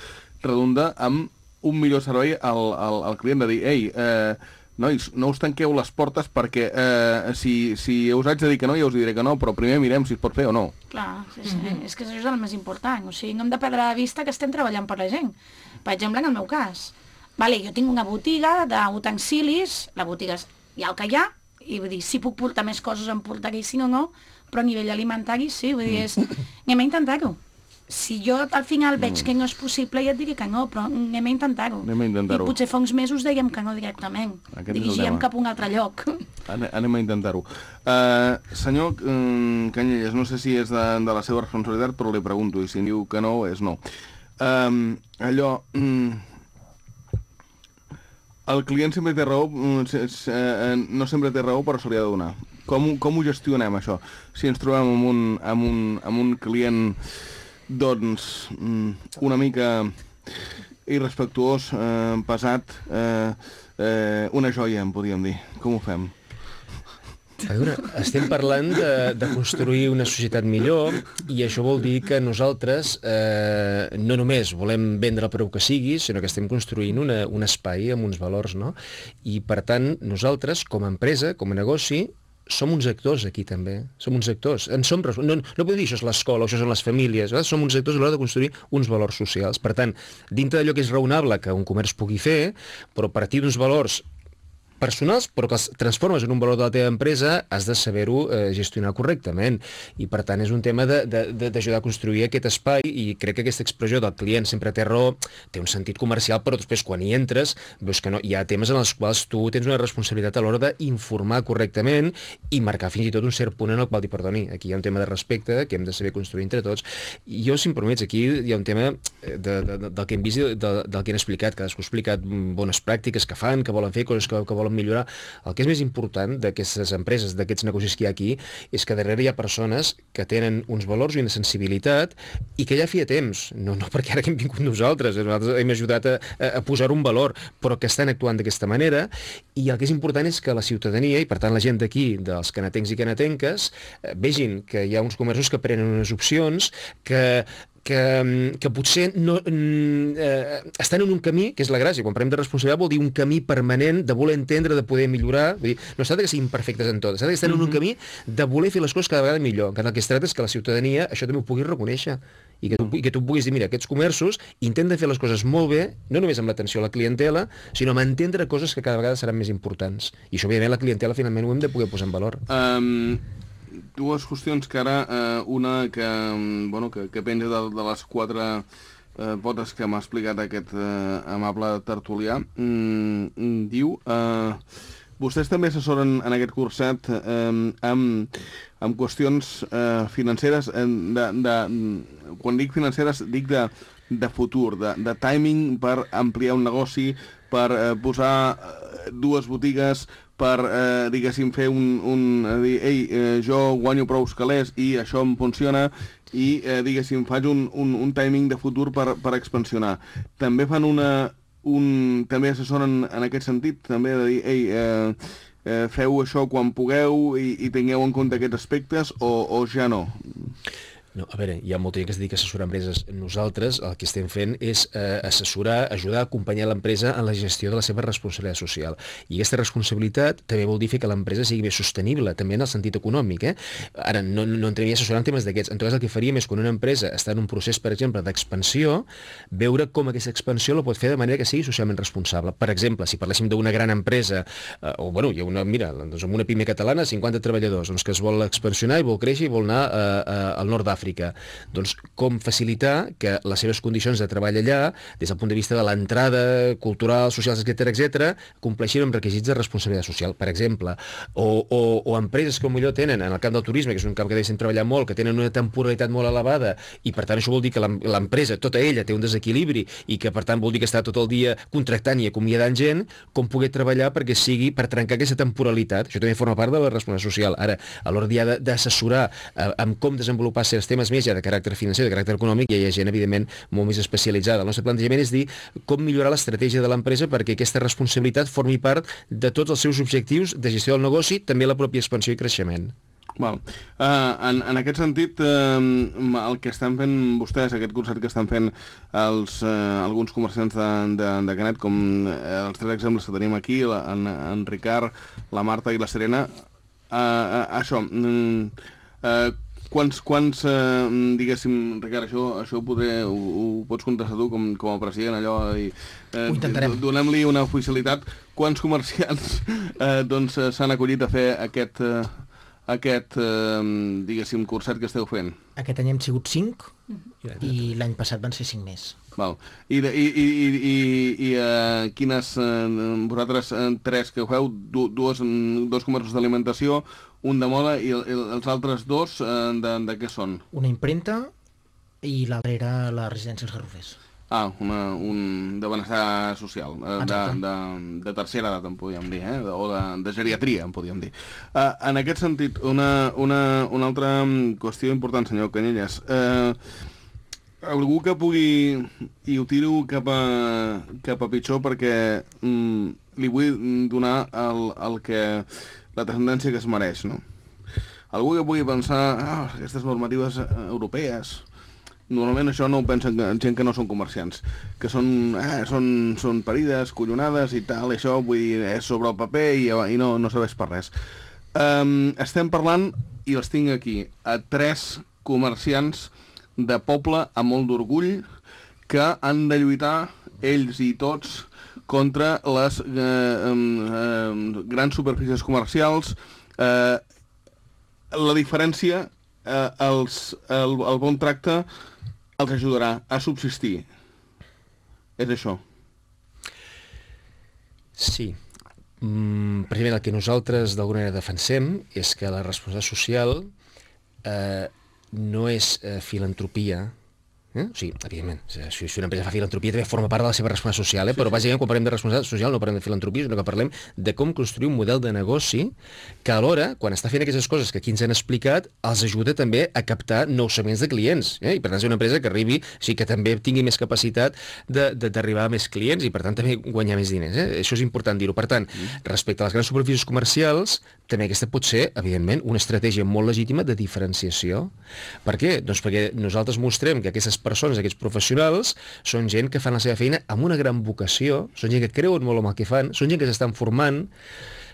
redunda amb un millor servei al, al, al client, de dir, ei, eh, nois, no us tanqueu les portes perquè eh, si, si us haig de dir que no, ja us diré que no, però primer mirem si es pot fer o no. Clar, sí, sí. Mm-hmm. És que això és el més important. O sigui, no hem de perdre de vista que estem treballant per la gent. Per exemple, en el meu cas. Vale, jo tinc una botiga d'utensilis, la botiga és ja el que hi ha, i vull dir, si puc portar més coses en portaré, si no, no, però a nivell alimentari sí, vull dir, és... anem a intentar-ho. Si jo al final veig que no és possible, ja et diré que no, però anem a intentar-ho. Anem a intentar-ho. I potser fa uns mesos dèiem que no directament. Dirigíem cap a un altre lloc. Anem a intentar-ho. Uh, senyor um, Canyelles, no sé si és de, de la seva responsabilitat, però li pregunto, i si diu que no, és no. Um, allò... Um, el client sempre té raó, um, no sempre té raó, però se li ha de donar. Com, com ho gestionem, això? Si ens trobem amb un, amb un, amb un client... doncs una mica irrespectuós, eh, pesat, eh, eh, una joia, en podríem dir. Com ho fem? A veure, estem parlant de, de construir una societat millor i això vol dir que nosaltres eh, no només volem vendre el preu que sigui, sinó que estem construint una, un espai amb uns valors, no? I per tant, nosaltres, com a empresa, com a negoci, som uns actors aquí també, som uns actors. En som, no, no podem dir això és l'escola o això són les famílies, eh? Som uns actors a l'hora de construir uns valors socials. Per tant, dintre d'allò que és raonable que un comerç pugui fer, però a partir d'uns valors personals, però que els transformes en un valor de la teva empresa, has de saber-ho eh, gestionar correctament. I, per tant, és un tema d'ajudar a construir aquest espai i crec que aquesta expressió del client sempre té raó, té un sentit comercial, però després, quan hi entres, veus que no, hi ha temes en els quals tu tens una responsabilitat a l'hora d'informar correctament i marcar fins i tot un cert punt en el qual dir, perdoni, aquí hi ha un tema de respecte que hem de saber construir entre tots. I jo, si em permets, aquí hi ha un tema de, de, de, del que hem vist i de, del que han explicat, cadascú ha explicat bones pràctiques que fan, que volen fer, coses que, que volen millorar. El que és més important d'aquestes empreses, d'aquests negocis que hi ha aquí, és que darrere hi ha persones que tenen uns valors i una sensibilitat i que ja feia temps, no, no perquè ara que hem vingut nosaltres, nosaltres hem ajudat a, a posar un valor, però que estan actuant d'aquesta manera, i el que és important és que la ciutadania, i per tant la gent d'aquí, dels canatencs i canatenques, vegin que hi ha uns comerços que prenen unes opcions, que que, que potser no, eh, estan en un camí, que és la gràcia, quan parlem de responsabilitat vol dir un camí permanent de voler entendre, de poder millorar, vull dir, no es tracta que siguin perfectes en tot, es tracta que estan mm-hmm. en un camí de voler fer les coses cada vegada millor, que el que es tracta és que la ciutadania això també ho pugui reconèixer, i que tu, i que tu puguis dir, mira, aquests comerços intenten fer les coses molt bé, no només amb l'atenció a la clientela, sinó amb entendre coses que cada vegada seran més importants, i això, òbviament, la clientela finalment ho hem de poder posar en valor. Um... Dues qüestions que ara, eh, una que, bueno, que, que penja de, de les quatre eh, potes que m'ha explicat aquest eh, amable tertulià, mm, diu, eh, vostès també assessoren en aquest curset eh, amb, amb qüestions eh, financeres, eh, de, de, quan dic financeres dic de, de futur, de, de timing per ampliar un negoci, per eh, posar dues botigues, per, eh, diguéssim, fer un... un dir, ei, eh, jo guanyo prou calés i això em funciona i, eh, diguéssim, faig un, un, un timing de futur per, per expansionar. També fan una... Un, també assessoren en aquest sentit, també de dir, ei, eh, eh, feu això quan pugueu i, i tingueu en compte aquests aspectes o, o ja no? No, a veure, hi ha molta gent que es dedica a assessorar empreses. Nosaltres el que estem fent és eh, assessorar, ajudar a acompanyar l'empresa en la gestió de la seva responsabilitat social. I aquesta responsabilitat també vol dir fer que l'empresa sigui més sostenible, també en el sentit econòmic. Eh? Ara, no, no entraria a assessorar en temes d'aquests. En tot cas, el que faríem és, quan una empresa està en un procés, per exemple, d'expansió, veure com aquesta expansió la pot fer de manera que sigui socialment responsable. Per exemple, si parléssim d'una gran empresa, eh, o bueno, hi ha una, mira, doncs amb una pime catalana, cinquanta treballadors, doncs que es vol expansionar i vol créixer i vol anar eh, eh, al nord d'Àfrica. Doncs com facilitar que les seves condicions de treball allà, des del punt de vista de l'entrada cultural, socials, etcètera, etcètera, compleixin amb requisits de responsabilitat social, per exemple. O, o, o empreses que potser tenen, en el camp del turisme, que és un camp que deixen treballar molt, que tenen una temporalitat molt elevada, i per tant això vol dir que l'empresa, tota ella, té un desequilibri, i que per tant vol dir que està tot el dia contractant i acomiadant gent, com poder treballar perquè sigui per trencar aquesta temporalitat. Això també forma part de la responsabilitat social. Ara, a l'hora d'assessorar eh, amb com desenvolupar certs temes més ja de caràcter financer, de caràcter econòmic, i hi ha gent, evidentment, molt més especialitzada. El nostre plantejament és dir com millorar l'estratègia de l'empresa perquè aquesta responsabilitat formi part de tots els seus objectius de gestió del negoci, també la pròpia expansió i creixement. Val. Uh, en, en aquest sentit, uh, el que estan fent vostès, aquest concert que estan fent els, uh, alguns comerciants de, de, de Canet, com uh, els tres exemples que tenim aquí, la, en, en Ricard, la Marta i la Serena, uh, uh, això... Uh, uh, Quants, quants eh, diguéssim, Ricard, això, això ho, podré, ho, ho pots contestar tu com, com a president, allò, i eh, donem-li una oficialitat. Quants comerciants eh, doncs, s'han acollit a fer aquest, eh, aquest eh, diguéssim, concert que esteu fent? Aquest any hem sigut cinc i l'any passat van ser cinc més. Val. I, de, i, i, i, i, i uh, quines, uh, vosaltres uh, tres que ho feu, du, dues, dos comerços d'alimentació, un de moda i, i els altres dos uh, de, de què són? Una impremta i l'altra era la residència dels Garrofers. Ah, una, un de benestar social, uh, de, de, de tercera edat, en podríem dir, eh? o de, de geriatria, en podríem dir. Uh, en aquest sentit, una, una, una altra qüestió important, senyor Canyelles. Uh, Algú que pugui, i ho tiro cap a, cap a pitjor perquè mm, li vull donar el, el que, la tendència que es mereix, no? Algú que pugui pensar, ah, aquestes normatives europees, normalment això no ho pensen gent que no són comerciants, que són, eh, són, són parides, collonades i tal, i això vull dir, és sobre el paper i, i no, no serveix per res. Um, estem parlant, i els tinc aquí, a tres comerciants de poble amb molt d'orgull que han de lluitar ells i tots contra les eh, eh, grans superfícies comercials. Eh, la diferència, eh, els, el, el bon tracte els ajudarà a subsistir. És això. Sí. Mm, precisament el que nosaltres d'alguna manera defensem és que la responsabilitat social eh, no és eh, filantropia, eh? O sigui, evidentment, si, si una empresa fa filantropia també forma part de la seva responsabilitat social, eh? Però bàsicament quan parlem de responsabilitat social no parlem de filantropia, sinó que parlem de com construir un model de negoci que alhora, quan està fent aquestes coses que aquí ens han explicat, els ajuda també a captar nous segments de clients, eh? I per tant és una empresa que arribi, o sigui, que també tingui més capacitat d'arribar a més clients i per tant també guanyar més diners, eh? Això és important dir-ho. Per tant, respecte a les grans superfícies comercials, també aquesta pot ser, evidentment, una estratègia molt legítima de diferenciació. Per què? Doncs perquè nosaltres mostrem que aquestes persones, aquests professionals, són gent que fan la seva feina amb una gran vocació, són gent que creuen molt en el que fan, són gent que s'estan formant,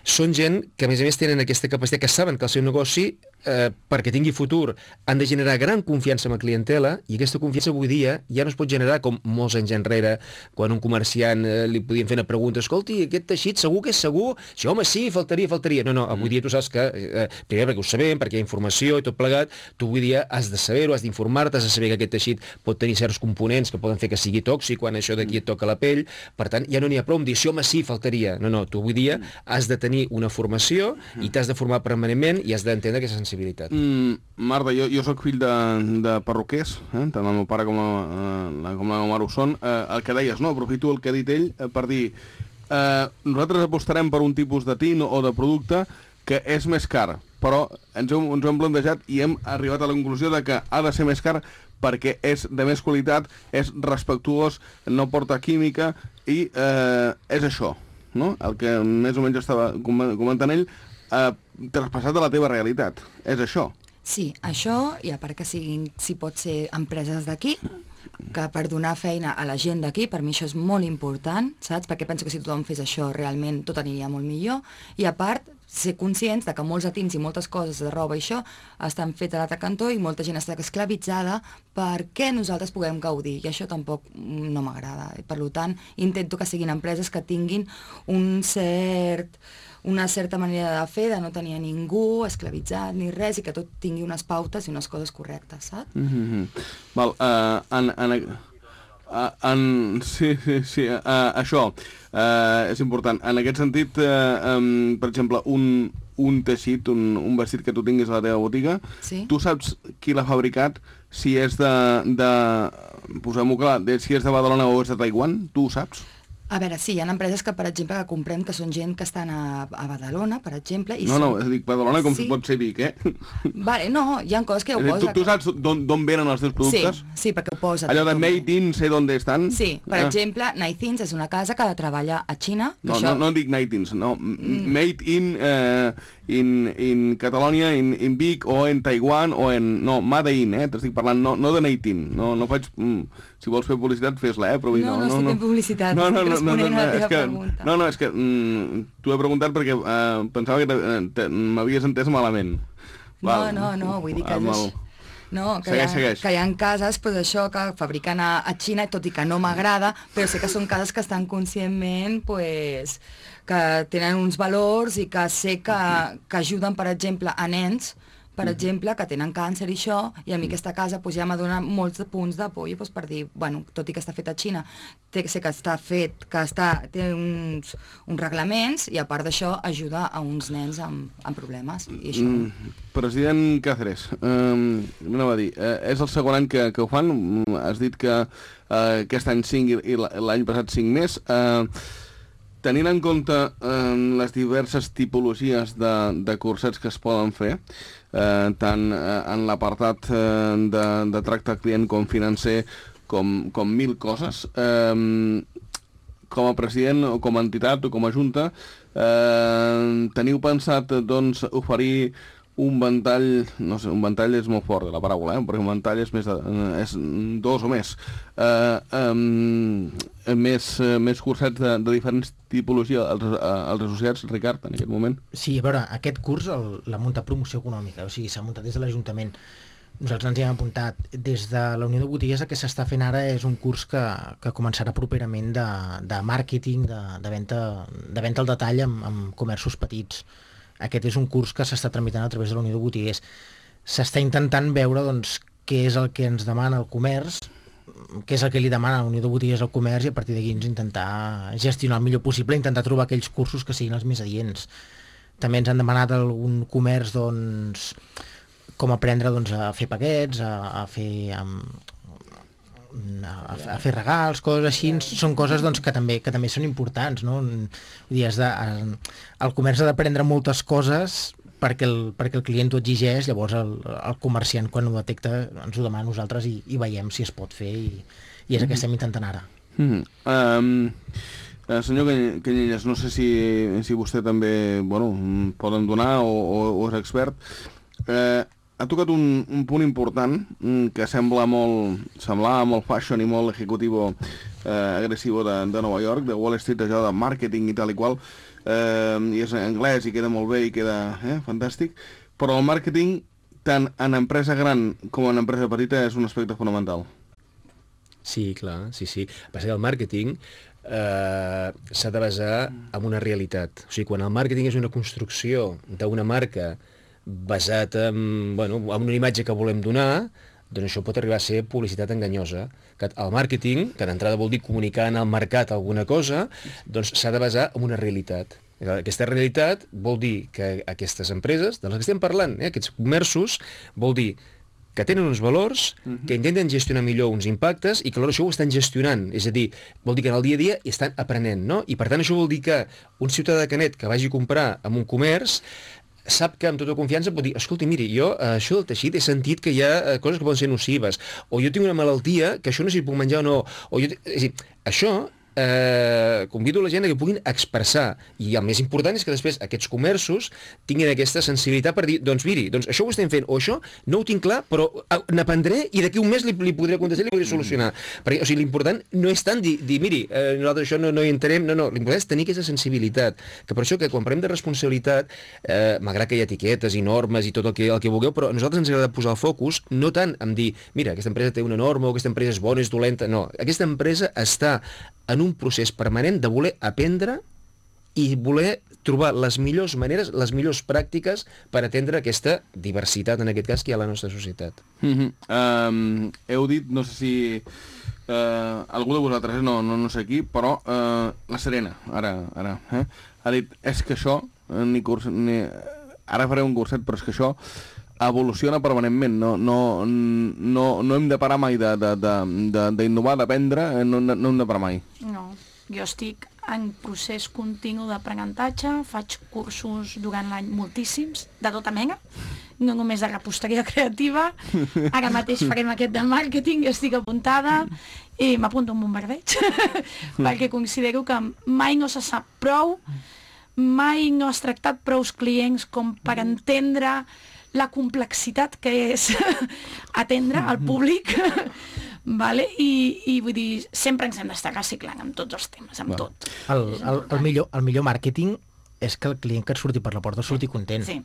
són gent que, a més a més, tenen aquesta capacitat, que saben que el seu negoci, eh, perquè tingui futur, han de generar gran confiança amb la clientela, i aquesta confiança avui dia ja no es pot generar com molts anys enrere, quan un comerciant eh, li podien fer una pregunta, escolti, aquest teixit segur que és segur? Sí, home, sí, faltaria, faltaria. No, no, avui dia tu saps que, eh, primer perquè ho sabem, perquè hi ha informació i tot plegat, tu avui dia has de saber-ho, has d'informar-te, has de saber que aquest teixit pot tenir certs components que poden fer que sigui tòxic quan això d'aquí et toca la pell, per tant, ja no n'hi ha prou amb dir, sí, home, sí, faltaria. No, no, tu avui dia has de tenir una formació i t'has de formar permanentment i has d'entendre aquesta sensibilitat. Mm, Marta, jo, jo sóc fill de, de perruquers, eh? Tant el meu pare com la, la, com la meva mare ho són. Eh, el que deies, no? Aprofito el que ha dit ell eh, per dir eh, nosaltres apostarem per un tipus de tint o de producte que és més car, però ens, hem, ens ho hem plantejat i hem arribat a la conclusió de que ha de ser més car perquè és de més qualitat, és respectuós, no porta química i eh, és això, no? El que més o menys estava comentant ell, eh, traspassat a la teva realitat. És això. Sí, això, i a part que siguin, si pot ser empreses d'aquí, que per donar feina a la gent d'aquí, per mi això és molt important, saps? Perquè penso que si tothom fes això realment tot aniria molt millor, i a part ser conscients de que molts atins i moltes coses de roba i això estan fetes a l'altre cantó i molta gent està esclavitzada perquè nosaltres puguem gaudir, i això tampoc no m'agrada. Per tant, intento que siguin empreses que tinguin un cert... una certa manera de fer, de no tenir a ningú esclavitzat ni res, i que tot tingui unes pautes i unes coses correctes, saps? Mm-hmm. Val, uh, en, en, uh, en, sí, sí, sí, uh, això uh, és important. En aquest sentit, uh, um, per exemple, un, un teixit, un, un vestit que tu tinguis a la teva botiga, sí? Tu saps qui l'ha fabricat, si és de, de posem-ho clar, de, si és de Badalona o és de Taiwan, tu ho saps? A veure, sí, hi ha empreses que, per exemple, que comprem que són gent que estan a, a Badalona, per exemple... I no, són... no, dic Badalona com sí. si pot ser Vic, eh? Vale, no, hi ha coses que ho posa. Tu, tu saps d'on venen els teus productes? Sí, sí, perquè ho posa. Allò de Made in, sé d'on estan? Sí, per ah. exemple, Nightins és una casa que treballa a Xina. No, això... no, no dic Nightins, no. Mm. Made in, eh, in, in Catalonia, in, in Vic, o en Taiwan, o en... No, Made in, eh? T'estic parlant, no, no de Nightins. No, no faig... Mm, si vols fer publicitat, fes-la, eh? Però no, no, no, estic no. fent publicitat, no, no, estic responent no, no, no, a la teva que, pregunta. No, no, és que mm, t'ho he preguntat perquè eh, pensava que m'havies entès malament. Val. No, no, no, vull dir que... El... No, que, segueix, hi ha, segueix. que hi ha cases, pues, això, que fabriquen a, a Xina, tot i que no m'agrada, però sé que són cases que estan conscientment, pues, que tenen uns valors i que sé que, que ajuden, per exemple, a nens, per exemple, que tenen càncer i això, i a mi aquesta casa pues, ja m'ha donat molts punts d'apoyo pues, per dir, bueno, tot i que està fet a Xina, té, sé que està fet, que està, té uns, uns reglaments, i a part d'això ajuda a uns nens amb, amb problemes. I això... Mm, president Cáceres, eh, no va dir, eh, és el segon any que, que ho fan, has dit que eh, aquest any cinc i l'any passat cinc més, eh, tenint en compte eh, les diverses tipologies de, de cursets que es poden fer, eh, tant eh, en l'apartat eh, de, de tracte al client com financer, com, com mil coses, eh, com a president o com a entitat o com a junta, eh, teniu pensat doncs, oferir un ventall, no sé, un ventall és molt fort de la paraula, eh? Perquè un ventall és més de, és dos o més, eh, um, més, més cursets de, de diferents tipologies als, als associats, Ricard, en aquest moment? Sí, a veure, aquest curs l'ha muntat Promoció Econòmica, o sigui, s'ha muntat des de l'Ajuntament. Nosaltres ens hi hem apuntat. Des de la Unió de Botiguers el que s'està fent ara és un curs que, que començarà properament de, de màrqueting, de, de, venda, de venda al detall amb, amb comerços petits. Aquest és un curs que s'està tramitant a través de la Unió de Botiguers. S'està intentant veure doncs, què és el que ens demana el comerç, què és el que li demana la Unió de Botiguers al comerç, i a partir d'aquí ens intentar gestionar el millor possible, intentar trobar aquells cursos que siguin els més adients. També ens han demanat algun comerç doncs, com aprendre doncs, a fer paquets, a, a fer... Um, A, a fer regals, coses així, són coses doncs, que, també, que també són importants, no? Vull dir, has de, el comerç ha d'aprendre moltes coses perquè el, perquè el client ho exigeix, llavors el, el comerciant quan ho detecta ens ho demana a nosaltres i, i veiem si es pot fer, i, i és el que estem intentant ara. Mm-hmm. um, uh, senyor Canyelles, no sé si, si vostè també bueno, poden donar o, o, o és expert. Eh, uh, ha tocat un, un punt important que sembla molt, semblava molt fashion i molt ejecutivo eh, agressivo de, de Nova York, de Wall Street, allò de màrqueting i tal i qual, eh, i és en anglès i queda molt bé i queda eh, fantàstic, però el màrqueting, tant en empresa gran com en empresa petita, és un aspecte fonamental. Sí, clar, sí, sí. Passa que el màrqueting eh, s'ha de basar en una realitat. O sigui, quan el màrqueting és una construcció d'una marca basat en, bueno, en una imatge que volem donar, doncs això pot arribar a ser publicitat enganyosa. Que el màrqueting, que d'entrada vol dir comunicar en el mercat alguna cosa, doncs s'ha de basar en una realitat. Aquesta realitat vol dir que aquestes empreses, de les que estem parlant, eh, aquests comerços, vol dir que tenen uns valors, uh-huh. que intenten gestionar millor uns impactes i que alhora això ho estan gestionant. És a dir, vol dir que en el dia a dia hi estan aprenent, no? I per tant això vol dir que un ciutadà de Canet que vagi a comprar en un comerç sap que amb tota confiança pot dir, escolti, miri, jo eh, això del teixit he sentit que hi ha eh, coses que poden ser nocives, o jo tinc una malaltia que això no sé si puc menjar o no, o jo... És a dir, això eh, convido la gent a que puguin expressar, i el més important és que després aquests comerços tinguin aquesta sensibilitat per dir, doncs miri, doncs això ho estem fent, o això no ho tinc clar, però n'aprendré i d'aquí un mes li, li podré contestar i li podré solucionar. Mm. Perquè, o sigui, l'important no és tant dir, dir miri, eh, nosaltres això no, no hi entenem, no, no, l'important és tenir aquesta sensibilitat, que per això que quan parlem de responsabilitat, eh, malgrat que hi ha etiquetes i normes i tot el que, el que vulgueu, però a nosaltres ens agrada posar el focus, no tant en dir, mira, aquesta empresa té una norma o aquesta empresa és bona, és dolenta, no, aquesta empresa està en un procés permanent de voler aprendre i voler trobar les millors maneres, les millors pràctiques per atendre aquesta diversitat, en aquest cas, que hi ha a la nostra societat. Mm-hmm. um, heu dit, no sé si uh, algú de vosaltres, no, no, no sé qui, però uh, la Serena, ara, ara eh, ha dit, és que això, ni curs, ni, ara faré un curset, però és que això evoluciona permanentment, no, no, no, no hem de parar mai d'innovar, d'aprendre, no, no hem de parar mai. No, jo estic en procés continu d'aprenentatge, faig cursos durant l'any moltíssims, de tota mena, no només de reposteria creativa, ara mateix farem aquest de màrqueting, estic apuntada i m'apunto un bombardeig, perquè considero que mai no se sap prou, mai no has tractat prous clients com per entendre la complexitat que és atendre al públic, vale? I, i vull dir, sempre ens hem d'estar reciclant amb tots els temes, amb tot. El, el, el, millor, el millor màrqueting és que el client que et surti per la porta surti content. Sí.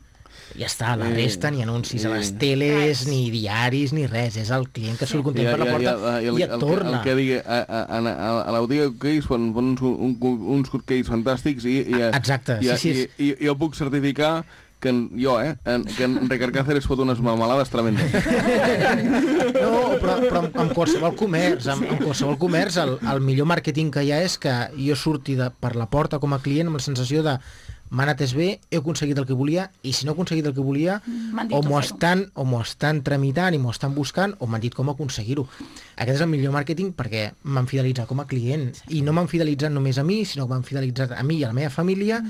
Ja està, la resta, ni anuncis a les teles, ni diaris, ni res. És el client que surt content per la porta i, i, i et torna. El que digui, a, a, a, a la botiga cupcakes fan uns, uns cupcakes fantàstics i, i, exacte, i, sí, sí. I, i, i jo puc certificar que en, jo, eh, en, que en Ricard Cáceres fot unes melmelades tremendes. No, però, però amb, amb qualsevol comerç, amb, amb qualsevol comerç, el, el millor màrqueting que hi ha és que jo surti de, per la porta com a client amb la sensació de m'ha anat bé, he aconseguit el que volia, i si no he aconseguit el que volia, o m'ho estan, o m'ho estan tramitant i m'ho estan buscant, o m'han dit com aconseguir-ho. Aquest és el millor màrqueting perquè m'han fidelitzat com a client, i no m'han fidelitzat només a mi, sinó que m'han fidelitzat a mi i a la meva família,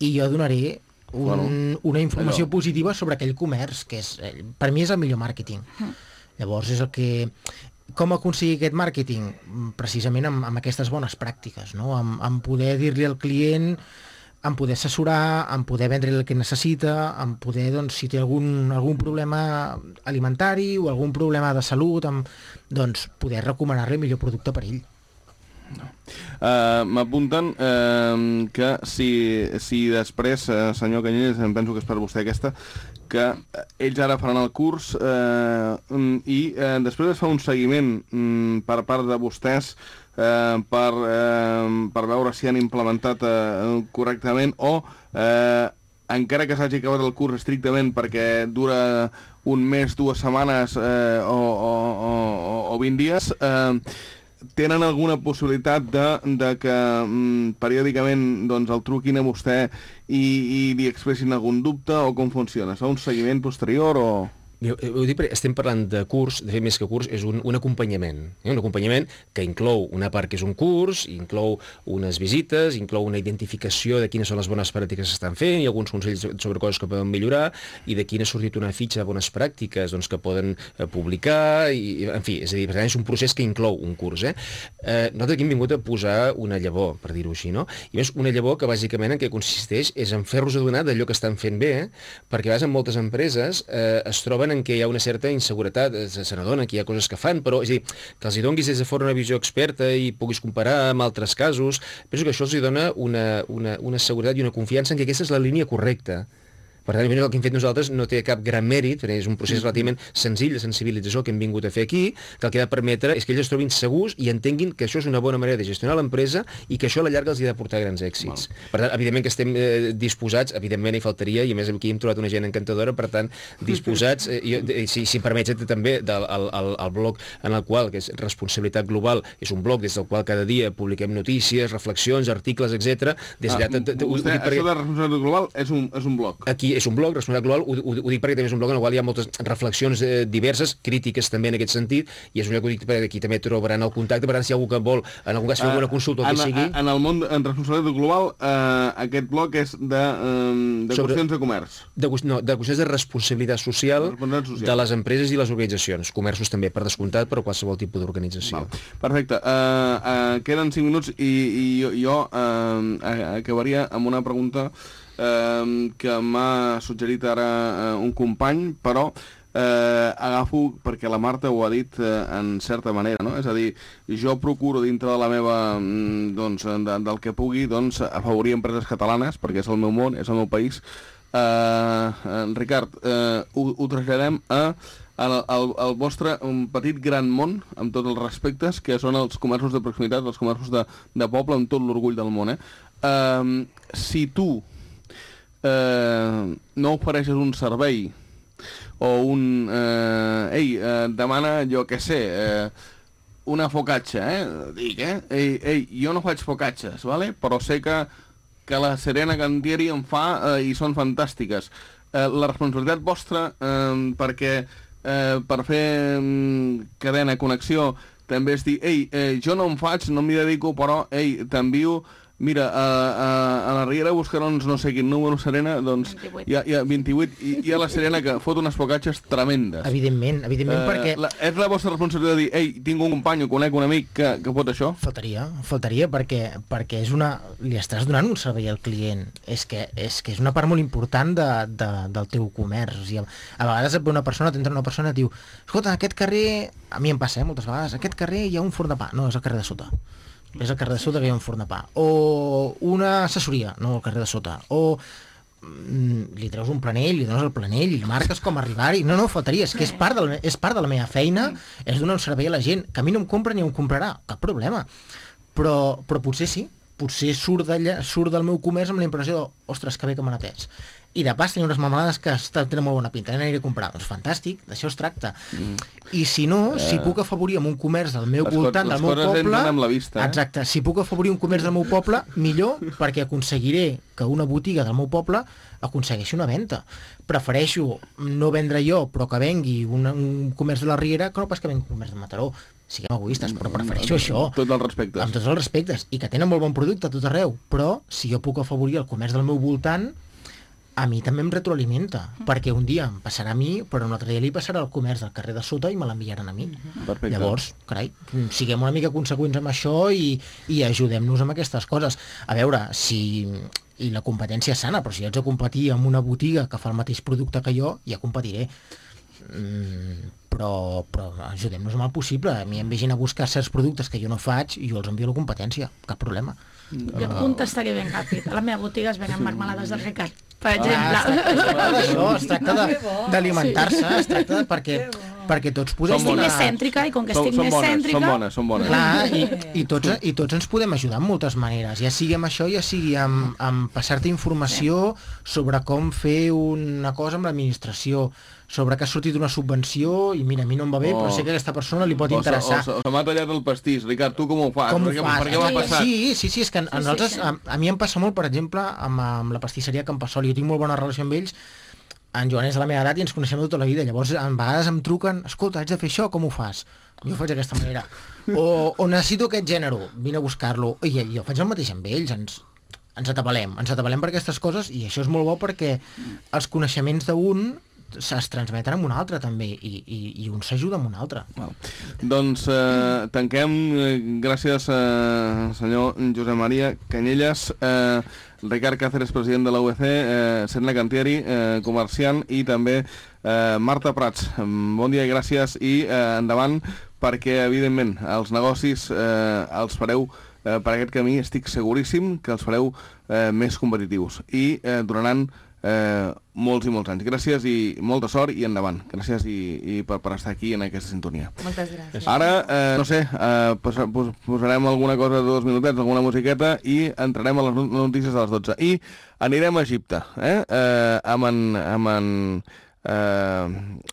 i jo donaré Un, bueno, una informació allò. positiva sobre aquell comerç, que és, per mi és el millor màrqueting. Mm. Llavors és el que... Com aconseguir aquest màrqueting? Precisament amb, amb aquestes bones pràctiques, no? Amb, amb poder dir-li al client, amb poder assessorar, amb poder vendre el que necessita, amb poder, doncs, si té algun, algun problema alimentari o algun problema de salut, amb, doncs, poder recomanar-li el millor producte per ell. No. Uh, m'apunten uh, que si, si després, uh, senyor Canyelles, em penso que és per vostè aquesta, que ells ara faran el curs uh, i uh, després es fa un seguiment um, per part de vostès uh, per, uh, per veure si han implementat uh, correctament o uh, encara que s'hagi acabat el curs estrictament perquè dura un mes, dues setmanes uh, o, o, o, o vint dies, uh, tenen alguna possibilitat de, de que mm, periòdicament doncs, el truquin a vostè i, i li expressin algun dubte o com funciona? És un seguiment posterior o...? Jo, ho dic perquè estem parlant de curs, de fet més que curs, és un, un acompanyament. Eh? Un acompanyament que inclou una part que és un curs, inclou unes visites, inclou una identificació de quines són les bones pràctiques que s'estan fent i alguns consells sobre coses que poden millorar i de quina ha sortit una fitxa de bones pràctiques doncs, que poden eh, publicar, i, en fi, és a dir, per tant, és un procés que inclou un curs. Eh? Eh, nosaltres aquí hem vingut a posar una llavor, per dir-ho així, no? I més una llavor que bàsicament en què consisteix és en fer-los adonar d'allò que estan fent bé, eh? Perquè a vegades en moltes empreses eh, es troben en què hi ha una certa inseguretat, se n'adona que hi ha coses que fan, però és a dir, que els hi donguis des de fora una visió experta i puguis comparar amb altres casos, penso que això els hi dona una, una, una seguretat i una confiança en que aquesta és la línia correcta. Per tant, el que hem fet nosaltres no té cap gran mèrit, perquè és un procés relativament senzill de sensibilització que hem vingut a fer aquí, que el que ha de permetre és que ells es trobin segurs i entenguin que això és una bona manera de gestionar l'empresa i que això a la llarga els hi ha de portar grans èxits. Val. Per tant, evidentment que estem eh, disposats, evidentment hi faltaria, i a més aquí hem trobat una gent encantadora, per tant, disposats, eh, jo, si, si em permets també, del, el, el, el blog en el qual, que és Responsabilitat Global, és un blog des del qual cada dia publiquem notícies, reflexions, articles, etcètera. Des ah, de... Vostè, això de Responsabilitat Global és un, és un blog? Aquí és un blog, Responsabilitat Global, ho, ho, ho dic perquè també és un blog en el qual hi ha moltes reflexions eh, diverses, crítiques també en aquest sentit, i és un lloc que ho dic perquè aquí també trobaran el contacte, per tant, si hi ha algú que vol, en algun cas, fer alguna consulta o el que sigui... En el món, en Responsabilitat Global, eh, aquest blog és de, eh, de Sobre, qüestions de comerç. De, no, de qüestions de responsabilitat social, responsabilitat social de les empreses i les organitzacions, comerços també, per descomptat, però qualsevol tipus d'organització. Perfecte. Uh, uh, queden cinc minuts i, i jo, jo uh, acabaria amb una pregunta uh, que m'ha suggerit ara uh, un company, però uh, agafo perquè la Marta ho ha dit uh, en certa manera, no? És a dir, jo procuro dintre de la meva, doncs, de, del que pugui, doncs, afavorir empreses catalanes, perquè és el meu món, és el meu país. Uh, uh, Ricard, uh, ho, ho traslladem a El, el, el vostre un petit gran món, amb tots els respectes, que són els comerços de proximitat, els comerços de, de poble, amb tot l'orgull del món. Eh? Uh, si tu uh, no ofereixes un servei o un... Uh, ei, uh, demana, jo què sé, uh, una focaccia, eh? Dic, eh? Ei, ei, jo no faig focacces, vale? Però sé que, que la Serena Cantieri en fa uh, i són fantàstiques. Uh, la responsabilitat vostra, uh, perquè... Eh, per fer mm, cadena, connexió, també és dir, ei, eh, jo no em faig, no m'hi dedico, però, ei, t'envio, mira, a, a, a la Riera Buscarons, no sé quin número, Serena, doncs, hi ha, hi ha vint-i-vuit, i hi ha la Serena que fot unes focatxes tremendes. Evidentment, evidentment, eh, perquè... La, és la vostra responsabilitat de dir, ei, tinc un company o conec un amic que, que fot això? Faltaria, faltaria, perquè, perquè és una... li estàs donant un servei al client. És que és, que és una part molt important de, de, del teu comerç. O sigui, a vegades et ve una persona, t'entra una persona i diu, escolta, en aquest carrer, a mi em passa, eh, moltes vegades, en aquest carrer hi ha un forn de pa. No, és el carrer de sota. És el carrer de sota que hi ha un forn de pa. O una assessoria, no, al carrer de sota. O mm, li treus un planell, li dones el planell, i li marques com arribar-hi. No, no, faltaria, és que és part, del, és part de la meva feina, és donar un servei a la gent, que a mi no em compra ni em comprarà, cap problema. Però, però potser sí, potser surt, surt del meu comerç amb la impressió de, ostres, que bé que m'han atès. I de pas tenia unes marmelades que tenen molt bona pinta, n'aniré a comprar. Doncs fantàstic, d'això es tracta. Mm. I si no, eh... si puc afavorir amb un comerç del meu les voltant, del meu poble... Amb la vista, eh? Exacte, si puc afavorir un comerç del meu poble, millor, perquè aconseguiré que una botiga del meu poble aconsegueixi una venda. Prefereixo no vendre jo, però que vengui un, un comerç de la Riera, que no pas que vengui un comerç de Mataró. Siguem egoistes, però prefereixo això. Tot els respectes. Amb tots els respectes. I que tenen molt bon producte a tot arreu. Però si jo puc afavorir el comerç del meu voltant, a mi també em retroalimenta, mm. perquè un dia em passarà a mi, però un altre dia li passarà al comerç del carrer de sota i me l'enviaran a mi. Perfecte. Llavors, carai, siguem una mica conseqüents amb això i, i ajudem-nos amb aquestes coses. A veure, si... i la competència és sana, però si haig de competir amb una botiga que fa el mateix producte que jo, ja competiré. Mm, però, però ajudem-nos amb el possible. A mi em vegin a buscar certs productes que jo no faig i jo els envio a la competència, cap problema. Jo et contestaré ben ràpid. A la meva botiga es venen marmelades del Ricard, per exemple. Ah, es tracta d'alimentar-se, es tracta de perquè, perquè tots podem... Estic més cèntrica i com que estic són, més bones, cèntrica... Són bones, són bones. Clar, i, i, tots, i tots ens podem ajudar en moltes maneres, ja sigui amb això, ja sigui amb, amb passar-te informació sobre com fer una cosa amb l'administració, sobre que ha sortit una subvenció i mira, a mi no em va bé, oh. però sé que a aquesta persona li pot interessar. O, o, o se m'ha tallat el pastís. Ricard, tu com ho fas? Com per, ho què, fas? per què m'ha passat? Sí, sí, sí, és que a, sí, nosaltres, sí, sí. A, a mi em passa molt, per exemple, amb, amb la pastisseria Can Passoli. Jo tinc molt bona relació amb ells. En Joan és de la meva edat i ens coneixem tota la vida. Llavors, a vegades em truquen, escolta, haig de fer això, com ho fas? Jo ho faig d'aquesta manera. O, o necessito aquest gènere, vine a buscar-lo. I jo faig el mateix amb ells, ens, ens atabalem. Ens atabalem per aquestes coses i això és molt bo perquè els coneixements d'un es transmeten amb un altre també i, i, i un s'ajuda amb un altre. Well, doncs eh, tanquem, eh, gràcies eh, senyor Josep Maria Canyelles, eh, Ricard Cáceres, president de la U E C, eh, Serena Cantieri, eh, comerciant, i també eh, Marta Prats. Bon dia i gràcies, i eh, endavant, perquè evidentment els negocis eh, els fareu eh, per aquest camí, estic seguríssim que els fareu eh, més competitius i eh, donaran Eh, molts i molts anys. Gràcies i molta sort i endavant. Gràcies i, i per, per estar aquí en aquesta sintonia. Moltes gràcies. Ara, eh, no sé, eh, pos, pos, posarem alguna cosa de dos minutets, alguna musiqueta i entrarem a les notícies de les dotze. I anirem a Egipte, eh? Eh, amb en... Amb en eh,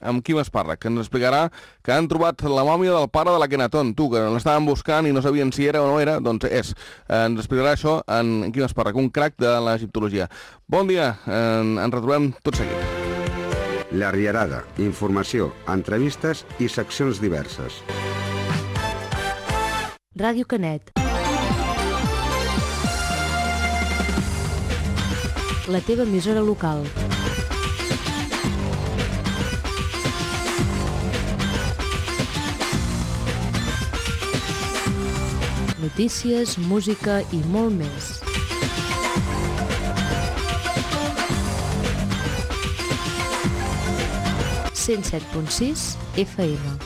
amb Quim Esparra, que ens explicarà que han trobat la mòmia del pare de l'Akhenaton. Tu, que l'estaven buscant i no sabien si era o no era, doncs és. Eh, ens explicarà això en Quim Esparra, un crac de l'egiptologia. Bon dia, eh, ens retrobem tot seguit. La Rierada, informació, entrevistes i seccions diverses. Ràdio Canet. La teva emissora local. Notícies, música i molt més. cent set punt sis F M.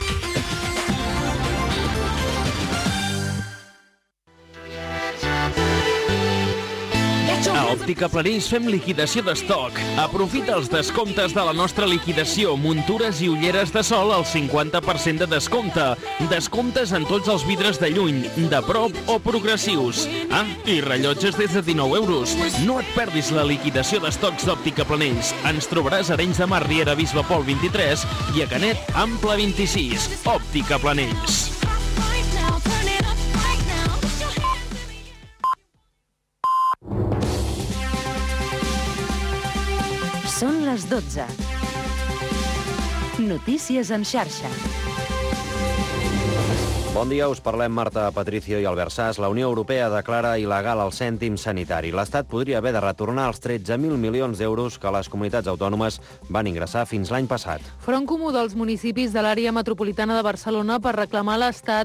A Òptica Planells fem liquidació d'estoc. Aprofita els descomptes de la nostra liquidació. Muntures i ulleres de sol al cinquanta per cent de descompte. Descomptes en tots els vidres de lluny, de prop o progressius. Ah, i rellotges des de dinou euros. No et perdis la liquidació d'estocs d'Òptica Planells. Ens trobaràs a Arenys de Mar, Riera, Bisbe Pol vint-i-tres i a Canet, Ample vint-i-sis. Òptica Planells. Són les dotze. Notícies en xarxa. Bon dia, us parlem Marta Patricio i Albert Sas. La Unió Europea declara il·legal el cèntim sanitari. L'Estat podria haver de retornar els tretze mil milions d'euros que les comunitats autònomes van ingressar fins l'any passat. Front Comú dels municipis de l'àrea metropolitana de Barcelona per reclamar a l'Estat